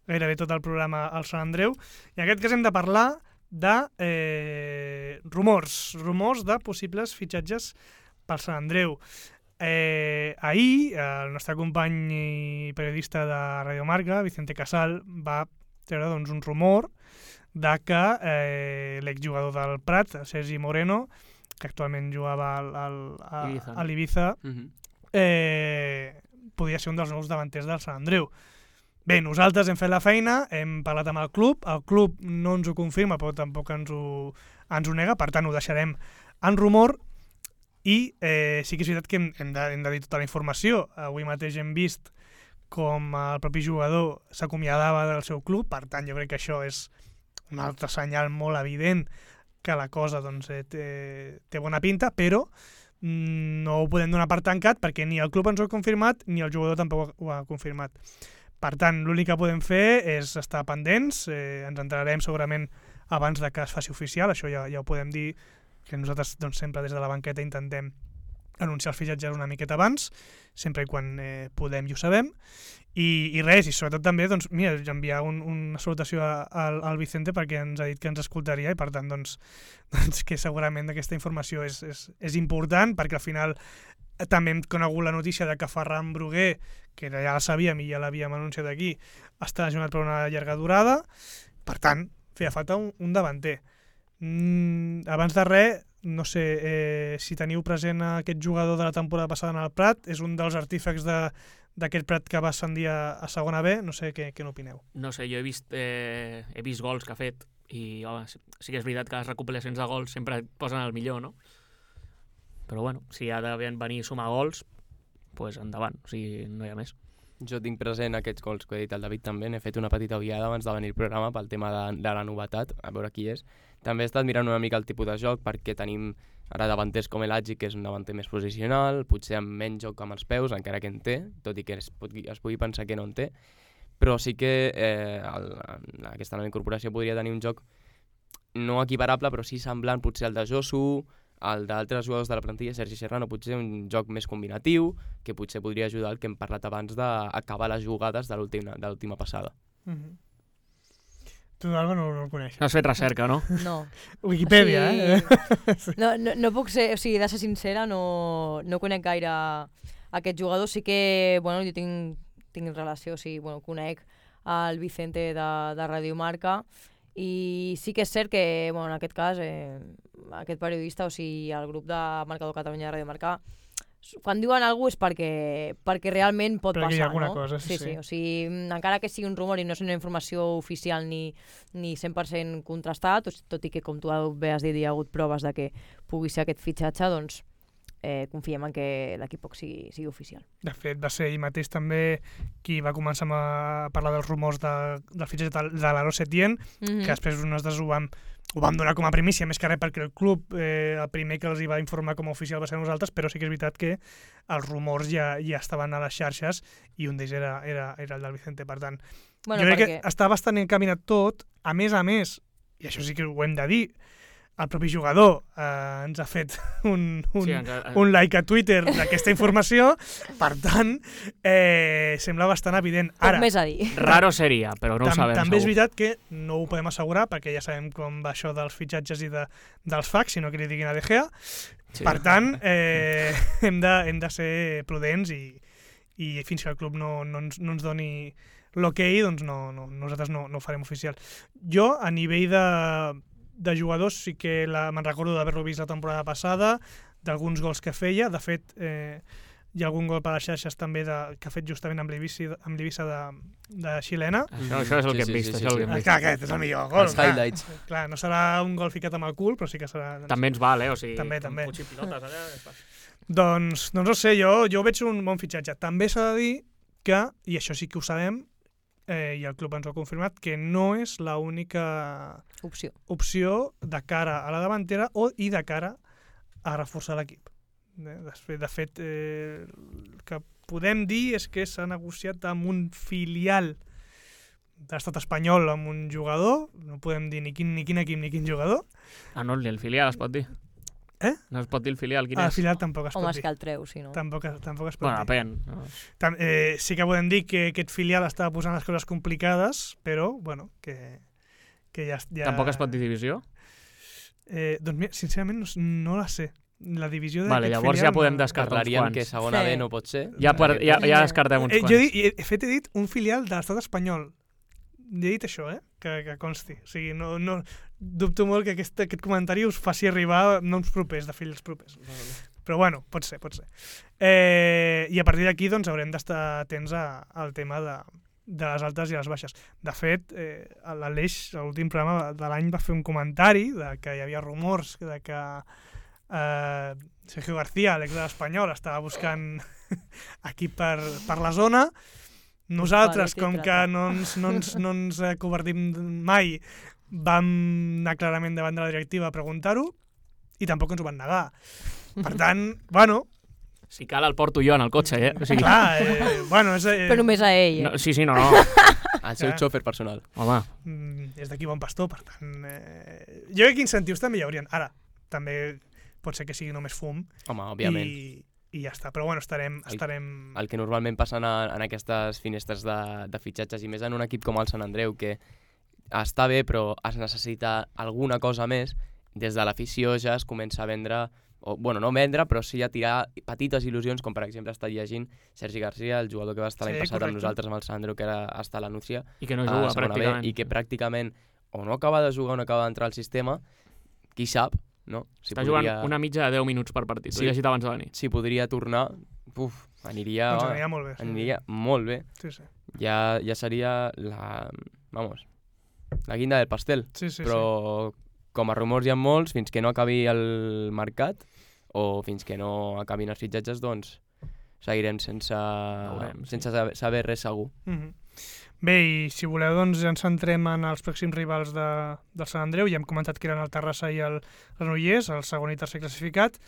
gairebé tot el programa al Sant Andreu i en aquest cas hem de parlar de rumors de possibles fitxatges pel Sant Andreu. Ahir, el nostre company i periodista de Radio Marca, Vicente Casal, va treure un rumor de que l'exjugador del Prat, Sergi Moreno, que actualment jugava a l'Ibiza, podia ser un dels nous davanters del Sant Andreu. Bé, nosaltres hem fet la feina, hem parlat amb el club no ens ho confirma, però tampoc ens ho nega, per tant ho deixarem en rumor. I sí que és veritat que hem de dir tota la informació. Avui mateix hem vist com el propi jugador s'acomiadava del seu club, per tant jo crec que això és un altre senyal molt evident que la cosa doncs, té bona pinta, però no ho podem donar per tancat perquè ni el club ens ho ha confirmat ni el jugador tampoc ho ha confirmat. Per tant, l'únic que podem fer és estar pendents, ens entrarem segurament abans de que es faci oficial, això ja ho podem dir, que nosaltres doncs, sempre des de la banqueta intentem anunciar els fitxatges una miqueta abans, sempre i quan podem i ho sabem, i res, i sobretot també doncs, mira, enviar una salutació al Vicente perquè ens ha dit que ens escoltaria i per tant doncs que segurament aquesta informació és important perquè al final també hem conegut la notícia de que Ferran Bruguer, que ja la sabíem i ja l'havíem anunciat aquí, està lesionat per una llarga durada, per tant feia falta un davanter. Abans de res, no sé si teniu present aquest jugador de la temporada passada en el Prat, és un dels artífecs d'aquest Prat que va ascendir a segona B, no sé què n'opineu. No sé, jo he vist gols que ha fet i home, sí que és veritat que les recopilacions de gols sempre et posen el millor, no? Però bueno, si ha de venir a sumar gols, doncs endavant, o sigui, no hi ha més. Jo tinc present aquests gols que he dit el David també, n'he fet una petita ullada abans de venir al programa pel tema de la novetat, a veure qui és. També he estat mirant una mica el tipus de joc perquè tenim ara davanters com Elagi, que és un davanter més posicional, potser amb menys joc amb els peus, encara que en té, tot i que es pugui pensar que no en té, però sí que aquesta nova incorporació podria tenir un joc no equiparable, però sí semblant potser al de Josu, el d'altres jugadors de la plantilla, Sergi Serrano, potser un joc més combinatiu, que potser podria ajudar el que hem parlat abans d'acabar les jugades de l'última passada. Tu, Alba, no el coneixes. No has fet recerca, no? No. Wikipedia, No puc ser, o sigui, de ser sincera, no conec gaire aquest jugador. Sí que, bueno, jo tinc relació, o sigui, bueno, conec el Vicente de Radio Marca i sí que és cert que, bueno, en aquest cas, aquest periodista, o sigui, el grup de Marcador Catalunya de Radio Marca, quan diuen alguna cosa és perquè realment pot perquè passar, hi ha alguna no? cosa, sí. O sigui, encara que sigui un rumor i no és una informació oficial ni 100% contrastat, tot i que, com tu bé has dit, hi ha hagut proves de que pugui ser aquest fitxatge, doncs confiem en que l'equip sigui oficial. De fet, va ser ell mateix també qui va començar a parlar dels rumors del fitxatge de l'Aro Setién, que després nosaltres ho vam donar com a primícia, més que res perquè el club, el primer que els hi va informar com a oficial va ser nosaltres, però sí que és veritat que els rumors ja estaven a les xarxes i un d'ells era el del Vicente. Per tant, jo crec que està bastant encaminat tot. A més, i això sí que ho hem de dir, el propi jugador ens ha fet un like a Twitter d'aquesta informació, per tant, sembla bastant evident. Ara, poc més a dir. Raro seria, però no ho sabem també segur. És veritat que no ho podem assegurar, perquè ja sabem com va això dels fitxatges i dels fax, si no que li diguin a De Gea. Sí. Per tant, hem de ser prudents i fins que el club no ens doni l'okei, doncs nosaltres no ho farem oficial. Jo, a nivell de jugadors, sí que me'n recordo d'haver-lo vist la temporada passada, d'alguns gols que feia. De fet, hi ha algun gol per les xarxes també que ha fet justament amb l'Eivissa de xilena. Això és el que hem vist. Clar, aquest és el millor gol. Els highlights. Clar, no serà un gol ficat amb el cul, però sí que serà... També ens val, o sigui, també. Puig i pilotes allà... Doncs no sé, jo veig un bon fitxatge. També s'ha de dir que, i això sí que ho sabem, i el club ens ho ha confirmat, que no és l'única opció de cara a la davantera i de cara a reforçar l'equip. De fet, el que podem dir és que s'ha negociat amb un filial de l'estat espanyol amb un jugador, no podem dir ni quin equip ni quin jugador. Ah, no, ni el filial es pot dir. No es pot dir el filial, quin és? El filial tampoc es pot dir. Home, és que el treu, si no. Tampoc es pot dir. Bueno, depèn. Sí que podem dir que aquest filial estava posant les coses complicades, però, bueno, que ja... Tampoc es pot dir divisió? Doncs mira, sincerament no la sé. La divisió d'aquest filial... Llavors ja podem descartar uns quants. Que segona B no pot ser. Ja descartem uns quants. Jo he dit un filial de l'estat espanyol. He dit això, que consti. O sigui, no dubto molt que aquest comentari us faci arribar noms propers, de fills propers. Però bueno, pot ser. I a partir d'aquí doncs, haurem d'estar atents al tema de les altes i les baixes. De fet, l'Aleix, a l'últim programa de l'any, va fer un comentari de que hi havia rumors de que Sergio García, l'ex de l'Espanyol, estava buscant equip per la zona. Nosaltres, com que no ens covardim mai, vam anar clarament davant de la directiva a preguntar-ho i tampoc ens ho van negar. Per tant, bueno... Si cal el porto jo en el cotxe, O sigui... Clar, bueno... Però només a ell, No, sí, no. El seu xòfer personal. Home, És d'aquí bon pastor, per tant... Jo crec que incentius també hi haurien. Ara, també pot ser que sigui només fum. Home, òbviament. I ja està. Però bueno, estarem... El que normalment passa en aquestes finestres de fitxatges, i més en un equip com el Sant Andreu, que està bé, però es necessita alguna cosa més, des de l'afició ja es comença a vendre, o, bueno, no vendre, però sí a tirar petites il·lusions, com per exemple està llegint Sergi García, el jugador que va estar l'any passat amb nosaltres, amb el Sant Andreu, que era hasta la Núcia, i que no juga pràcticament. I que pràcticament o no acaba de jugar o no acaba d'entrar al sistema, qui sap, no? Si està jugant una mitja de 10 minuts per partit, ho he llegit abans de venir. Si podria tornar, aniria molt bé. Aniria molt bé. Sí. Ja seria la guinda del pastel. Sí. Però com a rumors hi ha molts, fins que no acabi el mercat o fins que no acabin els fitxatges, doncs seguirem sense saber res segur. Bé, i si voleu, doncs ja ens centrem en els pròxims rivals del Sant Andreu. Ja hem comentat que eren el Terrassa i el Granollers, el segon i tercer classificat.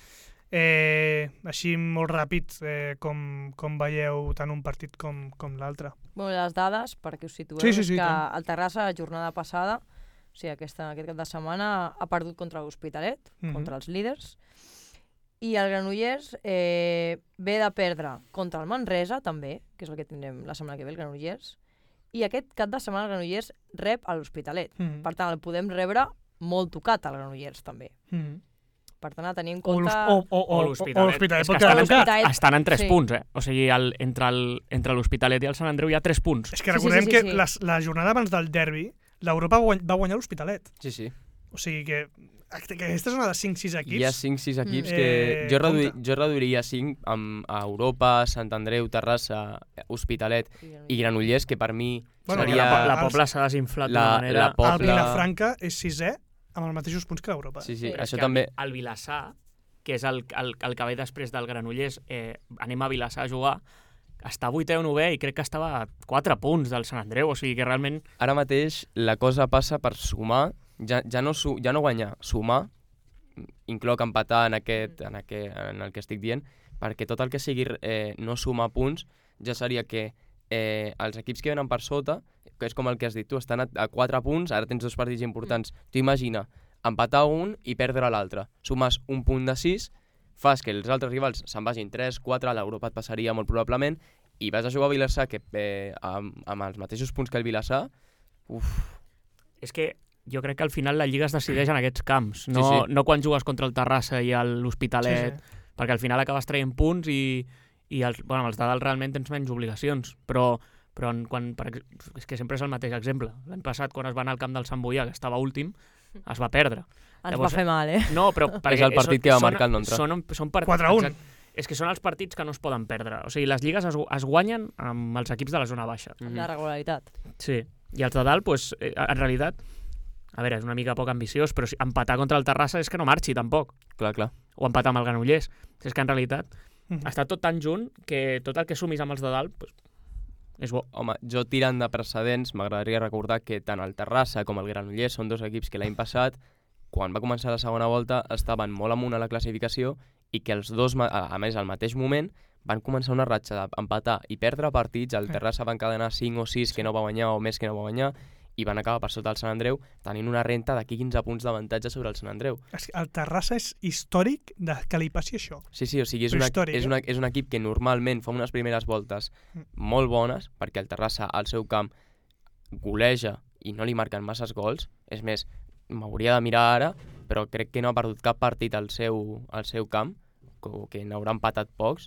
Així molt ràpid, com veieu tant un partit com l'altre? Bueno, les dades, perquè us situeu, sí, és que tant. el Terrassa, la jornada passada, o sigui, aquest cap de setmana, ha perdut contra l'Hospitalet, contra els líders, i el Granollers ve de perdre contra el Manresa, també, que és el que tindrem la setmana que ve, el Granollers, i aquest cap de setmana el Granollers rep a l'Hospitalet. Per tant, el podem rebre molt tocat al Granollers, també. Per tant, a tenir en compte... O l'Hospitalet. És que estan en 3 Sí. punts, O sigui, entre l'Hospitalet i el Sant Andreu hi ha 3 punts. És que recordem que la jornada abans del derbi, l'Europa va guanyar l'Hospitalet. Sí. O sigui que aquesta zona de 5-6 equips... Hi ha 5-6 equips que jo reduiria 5 a Europa, Sant Andreu, Terrassa, Hospitalet i Granollers, que per mi seria... La Pobla s'ha desinflat d'una manera... El Vilafranca és 6è amb els mateixos punts que l'Europa. Sí, això també... El Vilassar, que és el que ve després del Granollers, anem a Vilassar a jugar, està 8è o 9è i crec que estava a 4 punts del Sant Andreu, o sigui que realment... Ara mateix la cosa passa per sumar, ja no guanyar, sumar, incloc empatar en el que estic dient, perquè tot el que sigui no sumar punts ja seria que els equips que venen per sota, que és com el que has dit tu, estan a 4 punts, ara tens 2 partits importants. Tu imagina, empatar un i perdre l'altre. Sumes un punt de 6, fas que els altres rivals se'n vagin 3, 4, l'Europa et passaria molt probablement, i vas a jugar a Vilassar, que amb els mateixos punts que el Vilassar, És que jo crec que al final la Lliga es decideix en aquests camps, no quan jugues contra el Terrassa i l'Hospitalet, perquè al final acabes traient punts i els de dalt realment tens menys obligacions, però és que sempre és el mateix exemple. L'any passat, quan es va anar al camp del Sant Boià, que estava últim, es va perdre. Ens va fer mal, No, però... És el partit que va marcar el Nontra. Són partits... 4-1. És que són els partits que no es poden perdre. O sigui, les lligues es guanyen amb els equips de la zona baixa. Amb la regularitat. Sí. I els de dalt, en realitat, a veure, és una mica poc ambiciós, però empatar contra el Terrassa és que no marxi, tampoc. Clar. O empatar amb el Granollers. És que en realitat està tot tan junt que tot el que sumis amb els de dalt és bo. Home, jo tirant de precedents, m'agradaria recordar que tant el Terrassa com el Granollers són 2 equips que l'any passat, quan va començar la segona volta, estaven molt amunt a la classificació i que els dos, a més, al mateix moment, van començar una ratxa d'empatar i perdre partits. El Terrassa va encadenar 5 o 6 que no va guanyar o més que no va guanyar i van acabar per sota el Sant Andreu tenint una renta d'aquí 15 punts d'avantatge sobre el Sant Andreu. El Terrassa és històric que li passi això. Sí, o sigui, és un equip que normalment fa unes primeres voltes molt bones, perquè el Terrassa al seu camp goleja i no li marquen masses gols. És més, m'hauria de mirar ara, però crec que no ha perdut cap partit al seu camp, que n'haurà empatat pocs,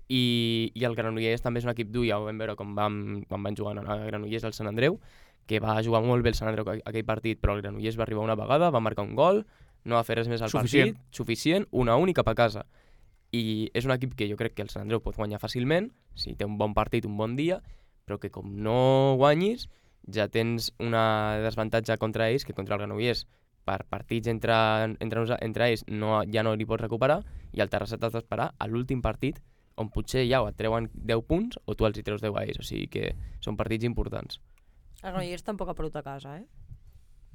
i el Granollers també és un equip dur, ja ho vam veure quan van jugar a Granollers al Sant Andreu, que va jugar molt bé el Sant Andreu aquell partit, però el Granollers va arribar una vegada, va marcar un gol, no va fer res més al partit, suficient, 1-1 i cap a casa. I és un equip que jo crec que el Sant Andreu pot guanyar fàcilment, si té un bon partit, un bon dia, però que com no guanyis, ja tens una desavantatge contra ells, que contra el Granollers per partits entre ells ja no li pots recuperar, i el Terrassa t'has d'esperar a l'últim partit, on potser ja et treuen 10 punts o tu els hi treus 10 a ells, o sigui que són partits importants. El Granollers tampoc ha perdut a casa, eh?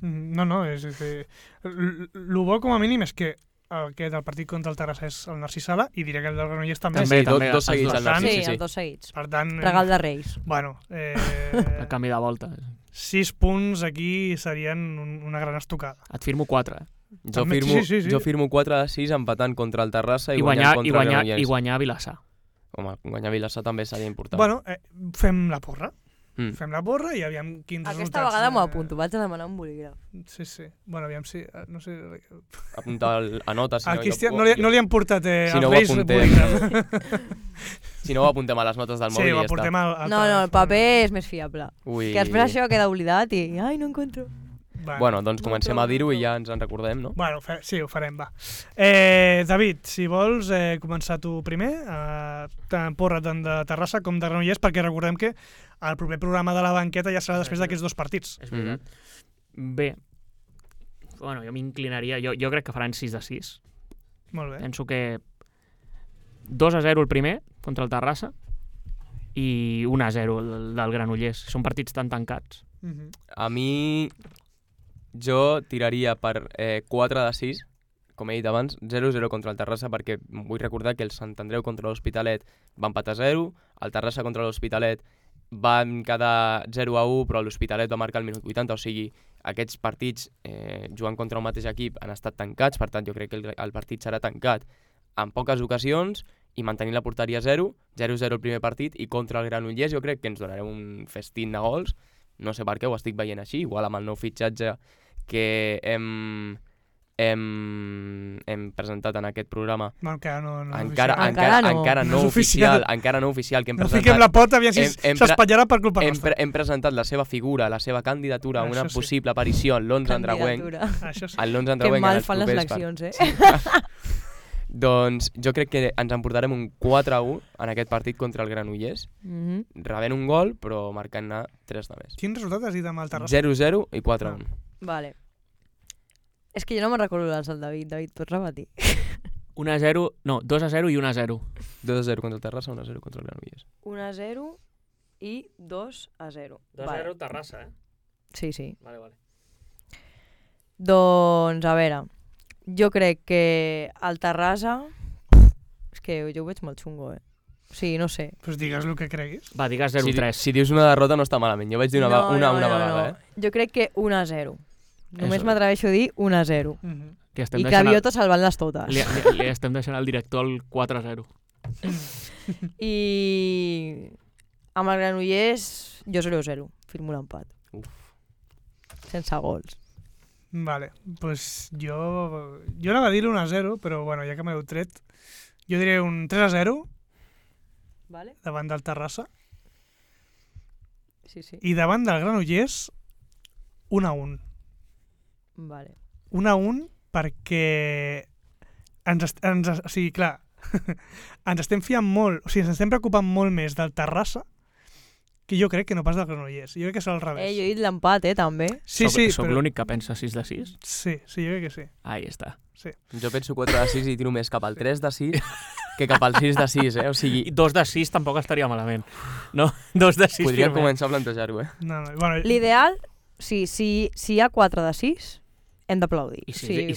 No, és que el bo com a mínim és que el partit contra el Terrassa és el Narcís Sala, i diré que el del Granollers també. Dos seguits al Narcís, sí, els dos seguits. Per tant, Regal de Reis. Bueno, El canvi de volta. 6 punts aquí serien una gran estocada. Et firmo 4, eh? Jo firmo 4 de 6 empatant contra el Terrassa i guanyant contra el Granollers. I guanyar a Vilassar. Home, guanyar a Vilassar també seria important. Bueno, fem la porra. Fem la porra i aviam quins resultats... Aquesta vegada m'ho apunto, vaig a demanar un bolígraf. Sí. Bueno, aviam si... No sé... Apuntar a nota, si no... Cristian no li han portat si no Reis bolígraf. Si no ho apuntem a les notes del mòbil i ja està. Sí, ho aportem al No, el paper és més fiable. Ui. Que després això queda oblidat i... Ai, no encontro. Bueno, doncs comencem a dir-ho i ja ens en recordem, no? Bueno, sí, ho farem, va. David, si vols començar tu primer, tant porra tant de Terrassa com de Granollers, perquè recordem que el proper programa de la banqueta ja serà després d'aquests 2 partits. És veritat. Bé, bueno, jo m'inclinaria... Jo crec que faran 6 de 6. Molt bé. Penso que 2-0 el primer, contra el Terrassa, i 1-0 del Granollers. Són partits tan tancats. A mi... Jo tiraria per 4 de 6, com he dit abans, 0-0 contra el Terrassa, perquè vull recordar que el Sant Andreu contra l'Hospitalet va empatar 0, el Terrassa contra l'Hospitalet van quedar 0-1, però l'Hospitalet va marcar al minut 80, o sigui, aquests partits jugant contra un mateix equip han estat tancats, per tant jo crec que el partit serà tancat en poques ocasions i mantenir la porteria 0, 0-0 el primer partit, i contra el Granollers jo crec que ens donarem un festín de gols, no sé per què ho estic veient així, igual amb el nou fitxatge que hem presentat en aquest programa. Bueno, encara no oficial, que hem presentat. No fiquem la pota, aviam si s'espatllarà per culpa nostra. Hem presentat la seva figura, la seva candidatura a una possible aparició en l'11 andreuenc. Que mal fan les eleccions, Doncs jo crec que ens emportarem un 4-1 en aquest partit contra el Granollers, rebent un gol, però marcant-ne 3 de més. Quin resultat has dit amb el Terrassa? 0-0 i 4-1. Vale. És que jo no me'n recordo els del David. David, pots repetir? 1-0, no, 2-0 i 1-0. 2-0 contra el Terrassa, 1-0 contra el Granollers. 1-0 i 2-0. 2-0 Terrassa, eh? Sí. Vale. Doncs, a veure, jo crec que el Terrassa... És que jo ho veig molt xungo, Sí, no sé. Pues digues el que creguis. Va, digues 0-3. Si dius una derrota no està malament. Jo vaig dir una vegada, Jo crec que 1-0. Només m'atreveixo a dir 1-0. I Craviota salvant-les totes. Li estem deixant al director el 4-0. I amb el Granollers, jo 0-0. Firmo l'empat. Sense gols. Vale, pues jo anava a dir 1-0, però bueno, ja que m'heu tret, jo diré un 3-0 davant del Terrassa. Sí. I davant del Granollers 1-1. Vale. 1-1 perquè o sigui, clar, ens estem fiant molt, o sigui, ens estem preocupant molt més del Terrassa que jo crec que no pas del Granollers. Jo crec que serà al revés. Jo he dit l'empat, també. Sí, Soc l'únic que pensa 6 de 6? Sí, jo crec que sí. Ahí està. Sí. Jo penso 4 de 6 i tiro més cap al 3 de 6 que cap al 6 de 6, O sigui... 2 de 6 tampoc estaria malament. No, 2 de 6 podríem començar a plantejar-ho, Bueno, l'ideal, si hi ha 4 de 6, hem d'aplaudir.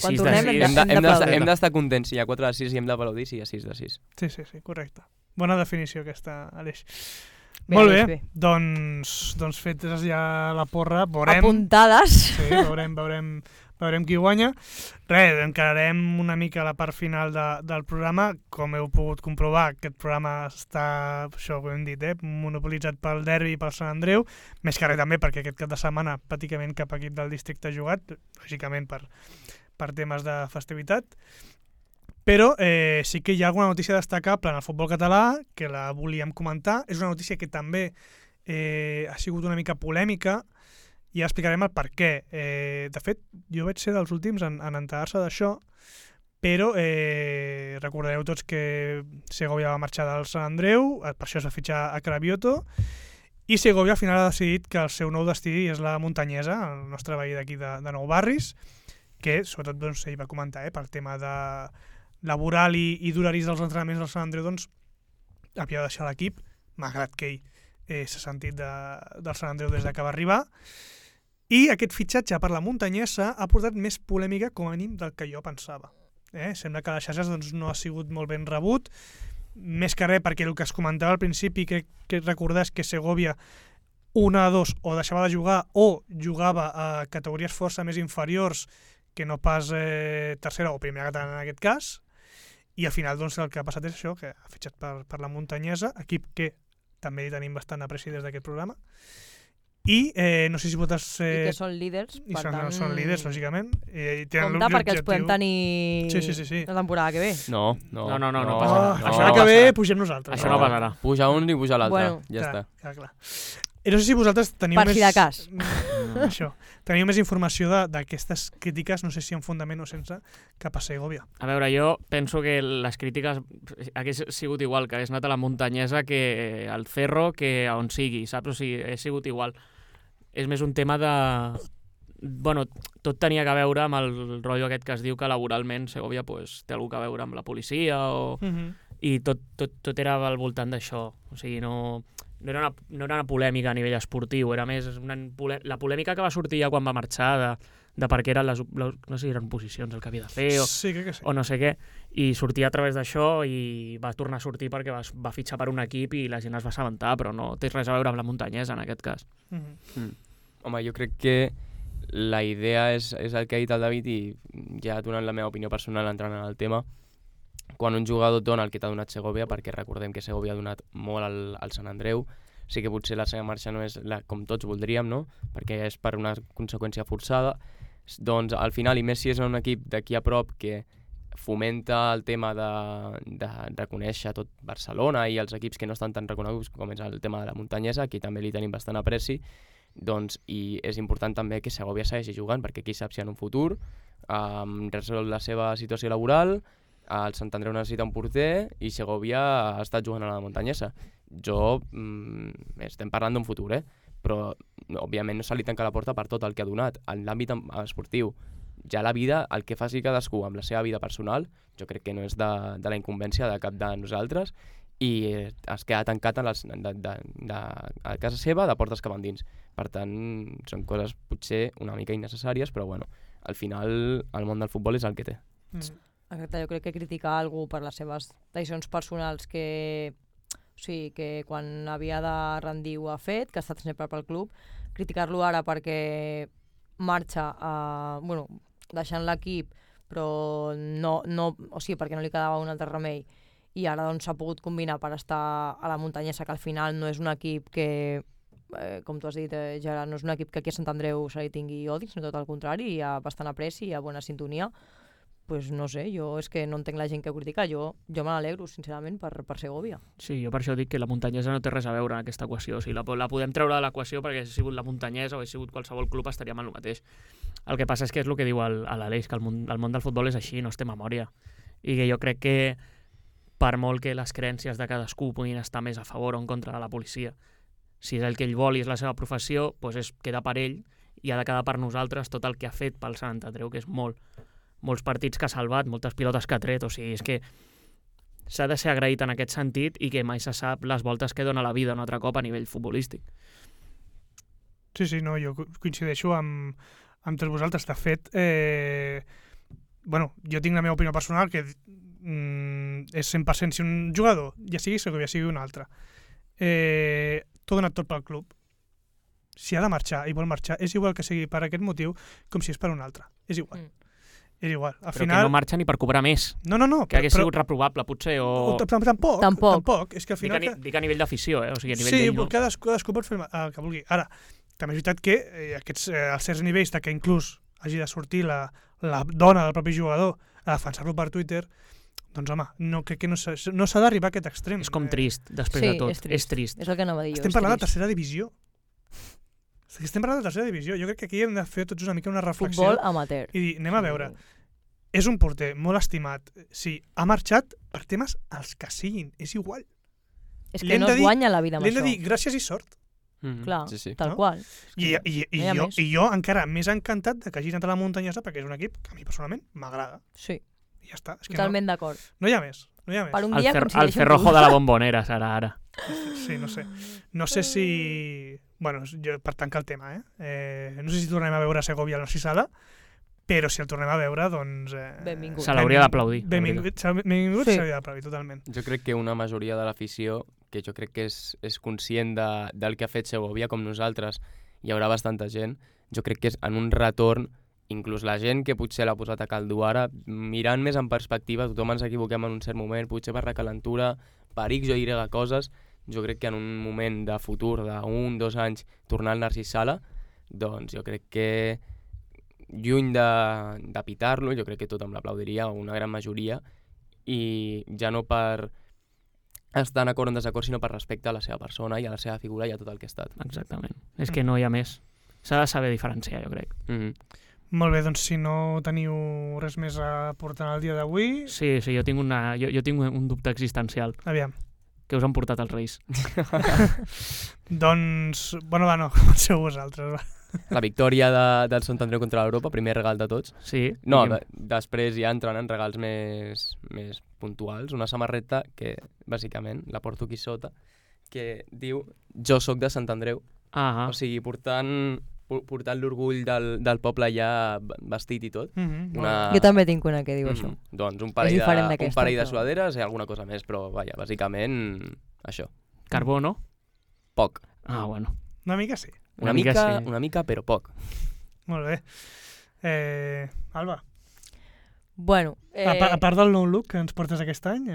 Quan tornem hem d'estar contents si hi ha 4 de 6 i hem d'aplaudir si hi ha 6 de 6. Sí, correcte. Bona definició aquesta, Aleix. Molt bé. Doncs fetes ja la porra, veurem... Apuntades. Sí, veurem qui guanya. Encararem una mica la part final del programa. Com heu pogut comprovar, aquest programa està, això ho hem dit, monopolitzat pel derbi i pel Sant Andreu, més que res també perquè aquest cap de setmana pràcticament cap equip del districte ha jugat, lògicament per temes de festivitat. Però sí que hi ha alguna notícia destacable en el futbol català que la volíem comentar. És una notícia que també ha sigut una mica polèmica i explicarem el per què. De fet, jo vaig ser dels últims en enterar-se d'això, però recordareu tots que Segovia va marxar del Sant Andreu, per això es va fitxar a Cravioto, i Segovia al final ha decidit que el seu nou destí és la Muntanyesa, el nostre veí d'aquí de Nou Barris, que sobretot doncs, ell va comentar, pel tema de laboral i d'horaris dels entrenaments del Sant Andreu, doncs havia de deixar l'equip, malgrat que ell s'ha sentit del Sant Andreu des que va arribar. I aquest fitxatge per la muntanyesa ha portat més polèmica, com a mínim, del que jo pensava. Sembla que a les xarxes doncs, no ha sigut molt ben rebut, més que res perquè el que es comentava al principi, que recordar és que Segovia 1-2 o deixava de jugar o jugava a categories força més inferiors que no pas tercera o primera catalana en aquest cas, i al final doncs, el que ha passat és això, que ha fitxat per la muntanyesa, equip que també hi tenim bastant apreci des d'aquest programa, i no sé si vosaltres... I que són líders, I per tant... són líders, lògicament. Compte perquè els podem tenir sí. la temporada que ve. No passarà. Això que ve pugem nosaltres. Això no passarà. Puja un i puja l'altre, Bueno, ja està. Clar. I no sé si vosaltres teniu Per si de cas. Això. Teniu més informació d'aquestes crítiques, no sé si en fundament o sense, cap a Segovia. A veure, jo penso que les crítiques hagués sigut igual, que hagués anat a la muntanyesa que al Cerro, que a on sigui, saps? O sigui, hagués sigut igual. És més un tema de... Bueno, tot tenia que veure amb el rotllo aquest que es diu que laboralment Segovia pues, té alguna a veure amb la policia o... i tot era al voltant d'això. O sigui, no era una polèmica a nivell esportiu, era més la polèmica que va sortir ja quan va marxar de per què eren no sé si eren posicions el que havia de fer Sí, crec que sí. o no sé què, i sortia a través d'això i va tornar a sortir perquè va fitxar per un equip i la gent es va assabentar, però no té res a veure amb la muntanyesa en aquest cas. Home, jo crec que la idea és el que ha dit el David i ja donant la meva opinió personal entrant en el tema. Quan un jugador dona el que t'ha donat Segovia, perquè recordem que Segovia ha donat molt al Sant Andreu, sí que potser la seva marxa no és com tots voldríem, no? Perquè és per una conseqüència forçada, doncs al final, i més si és un equip d'aquí a prop que fomenta el tema de reconèixer tot Barcelona i els equips que no estan tan reconeguts com és el tema de la muntanyesa, aquí també li tenim bastant apreci, doncs, i és important també que Segovia segueixi jugant, perquè qui sap si en un futur resol la seva situació laboral, el Sant Andreu necessita un porter i Segovia ha estat jugant a la muntanyesa. Estem parlant d'un futur, però òbviament no se li tanca la porta per tot el que ha donat. En l'àmbit esportiu, ja la vida, el que faci cadascú amb la seva vida personal, jo crec que no és de la incumbència de cap de nosaltres i es queda tancat a casa seva de portes cap endins. Per tant, són coses potser una mica innecessàries, però bueno, al final el món del futbol és el que té. Exacte, jo crec que criticar algú per les seves decisions personals que quan havia de rendir ho ha fet, que ha estat sempre pel club, criticar-lo ara perquè marxa deixant l'equip però perquè no li quedava un altre remei i ara doncs s'ha pogut combinar per estar a la muntanyesa, que al final no és un equip que, com tu has dit, Gerard, no és un equip que aquí a Sant Andreu se li tingui odi, sinó tot el contrari, hi ha bastant apreci, hi ha bona sintonia. Pues no sé, jo és que no entenc la gent que ho critica, jo me n'alegro, sincerament, per Segovia. Sí, jo per això dic que la muntanyesa no té res a veure en aquesta equació. O sigui, la podem treure de l'equació perquè si ha sigut la muntanyesa o ha sigut qualsevol club estaríem en el mateix. El que passa és que és el que diu l'Aleix, que el món del futbol és així, no es té memòria. I que jo crec que per molt que les creences de cadascú puguin estar més a favor o en contra de la policia, si és el que ell vol i és la seva professió, doncs queda per ell i ha de quedar per nosaltres tot el que ha fet pel Sant Andreu, que és molts partits que ha salvat, moltes pilotes que ha tret, o sigui, és que s'ha de ser agraït en aquest sentit i que mai se sap les voltes que dona la vida un altre cop a nivell futbolístic. Sí, no, jo coincideixo amb tots vosaltres. De fet, jo tinc la meva opinió personal, que és 100% si un jugador, ja sigui Segovia, sigui un altre, t'ho ha donat tot pel club. Si ha de marxar i vol marxar, és igual que sigui per aquest motiu com si és per un altre. És igual. És igual. Al però final... que no marxa ni per cobrar més. No. Que hagués sigut reprovable, potser, o... Tampoc. És que al final... Dic a nivell d'afició, o sigui, a nivell sí, cadascú pot fer el que vulgui. Ara, també és veritat que als certs nivells que inclús hagi de sortir la dona del propi jugador a defensar-lo per Twitter, doncs home, no crec que no s'ha d'arribar a aquest extrem. És com trist, després de tot. És trist. És el que anava a dir jo. Estem parlant de tercera divisió. Jo crec que aquí hem de fer tots una mica una reflexió. Futbol amateur. I dir, anem a veure, és un porter molt estimat. Sí, ha marxat per temes els que siguin, és igual. És que no es guanya la vida amb això. L'hem de dir gràcies i sort. Clar, Sí, sí. tal No? qual. I No hi ha més. jo encara més encantat de que hagi anat a la muntanyesa perquè és un equip que a mi personalment m'agrada. Sí, I ja està. És que totalment d'acord. no hi ha més. No hi ha més. Per un El, dia el coincideixo amb Cerrojo tu. de la Bombonera serà ara. Sí, no sé. No sé si... Bueno, jo, per tancar el tema, no sé si tornem a veure Segovia a l'Arcisala, però si el tornem a veure, doncs... Benvingut. Se l'hauria d'aplaudir. Benvingut, benvingut Sí. s'hauria d'aplaudir, totalment. Jo crec que una majoria de l'afició, que jo crec que és conscient del que ha fet Segovia, com nosaltres, hi haurà bastanta gent, jo crec que és en un retorn, inclús la gent que potser l'ha posat a caldo ara, mirant més en perspectiva, tothom ens equivoquem en un cert moment, potser per recalentura, per X o Y coses, jo crec que en un moment de futur, d'1 o 2 anys, tornar al Narcís Sala, doncs jo crec que lluny de pitar-lo, jo crec que tothom l'aplaudiria, una gran majoria, i ja no per estar en acord o en desacord, sinó per respecte a la seva persona i a la seva figura i a tot el que ha estat. Exactament. És que no hi ha més. S'ha de saber diferenciar, jo crec. Molt bé, doncs si no teniu res més a portar el dia d'avui, Sí, jo tinc, jo tinc un dubte existencial. aviam. Que us han portat els Reis? Doncs, bueno, va, no, comenceu vosaltres, va. La victòria del Sant Andreu contra l'Europa, primer regal de tots. Sí. No, digue'm. després ja entren en regals més puntuals. Una samarreta que, bàsicament, la porto aquí sota, que diu «Jo sóc de Sant Andreu». Ah, O sigui, portant l'orgull del poble ja vestit i tot. Una... Jo també tinc una que diu això. Doncs un És parell, diferent un d'aquesta, parell de però- sudaderes i alguna cosa més, però vaja, bàsicament això. carbó, no? Poc. Ah, bueno. Una mica sí. Una mica sí. Una mica, però poc. Molt bé. Alba, Bueno, a part del nou look que ens portes aquest any...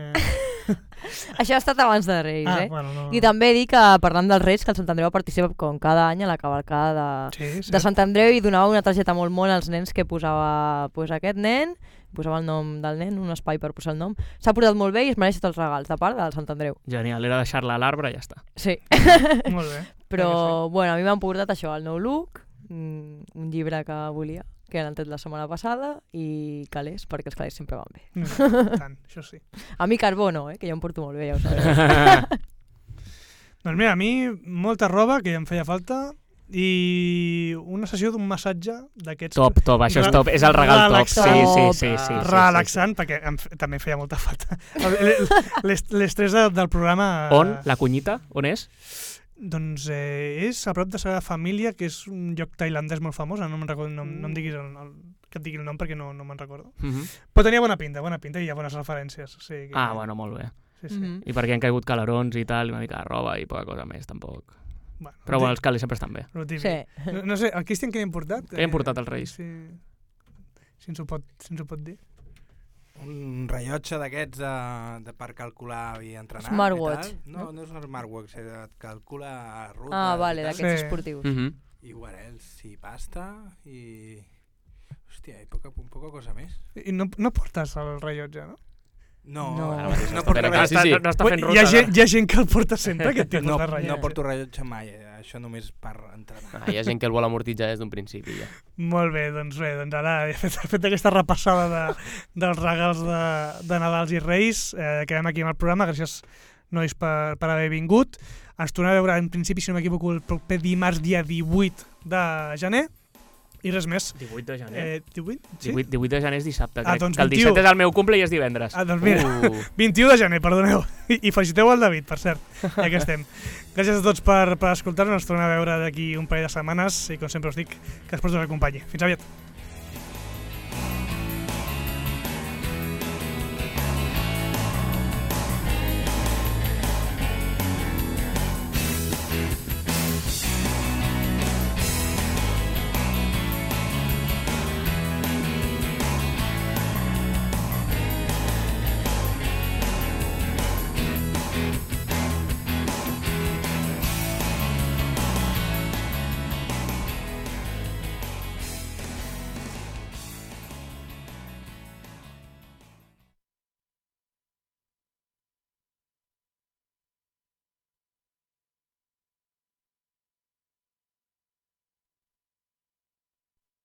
això ha estat abans de Reis, bueno, no... I també dic que, parlant dels Reis, que el Sant Andreu participa com cada any a la cavalcada Sí, de Sant Andreu i donava una targeta molt mona als nens que posava pues, aquest nen, posava el nom del nen, un espai per posar el nom. S'ha portat molt bé i es mereix tots els regals, de part del Sant Andreu. Genial, era deixar-la a l'arbre i ja està. Sí, Molt bé. però bueno, a mi m'han portat això, el nou look, un llibre que volia, que l'han tret la setmana passada, i calés, perquè els calés sempre van bé. Tant, això sí. A mi carbó no, que jo em porto molt bé, ja ho sabeu. Doncs mira, a mi molta roba, que ja em feia falta, i una sessió d'un massatge d'aquests... Top, això és top. És el regal top. Sí, relaxant. sí. Relaxant, perquè també em feia molta falta. L'estrès del programa... On? La Cunyita? On és? Doncs és a prop de Sagrada Família, que és un lloc tailandès molt famós, no me'n recordo, no em diguis que et digui el nom perquè no me'n recordo. Però tenia bona pinta i hi ha bones referències. O sigui que... Bueno, molt bé. Sí. I perquè han caigut calarons i tal, una mica de roba i poca cosa més, tampoc. Bueno, Però bueno, els calés sempre estan bé. lo típic. Sí. No sé, el Cristian què li hem portat? Què li hem portat als Reis? Si ens ho pot dir. Un rellotge d'aquests per calcular i entrenar. Smartwatch, I tal. No és un smartwatch, et calcula rutes. Ah, vale, i tal. d'aquests Sí. esportius. I guarels i pasta i... Hòstia, i poca cosa més. I no portes el rellotge, no? No, No. no, No porto porta rellotge. sí. No està fent Hi ruta. ha gent que el porta sempre, aquest tipus No, de rellotge. no porto rellotge mai, això només per entrenar. Hi ha gent que el vol amortitzar des d'un principi, ja. Molt bé, doncs ara he fet aquesta repassada dels regals de Nadals i Reis. Quedem aquí amb el programa. Gràcies, nois, per haver vingut. Ens tornem a veure, en principi, si no m'equivoco, el proper dimarts, dia 18 de gener. I res més. 18 de gener. 18? Sí? 18 de gener és dissabte, Ah, crec. doncs Que el 21. 17 és el meu cumple i és divendres. Doncs mira, 21 de gener, perdoneu. I feliciteu al David, per cert, ja que estem. Gràcies a tots per escoltar-nos. Ens tornem a veure d'aquí un parell de setmanes i, com sempre us dic, que espero us acompanyi. Fins aviat.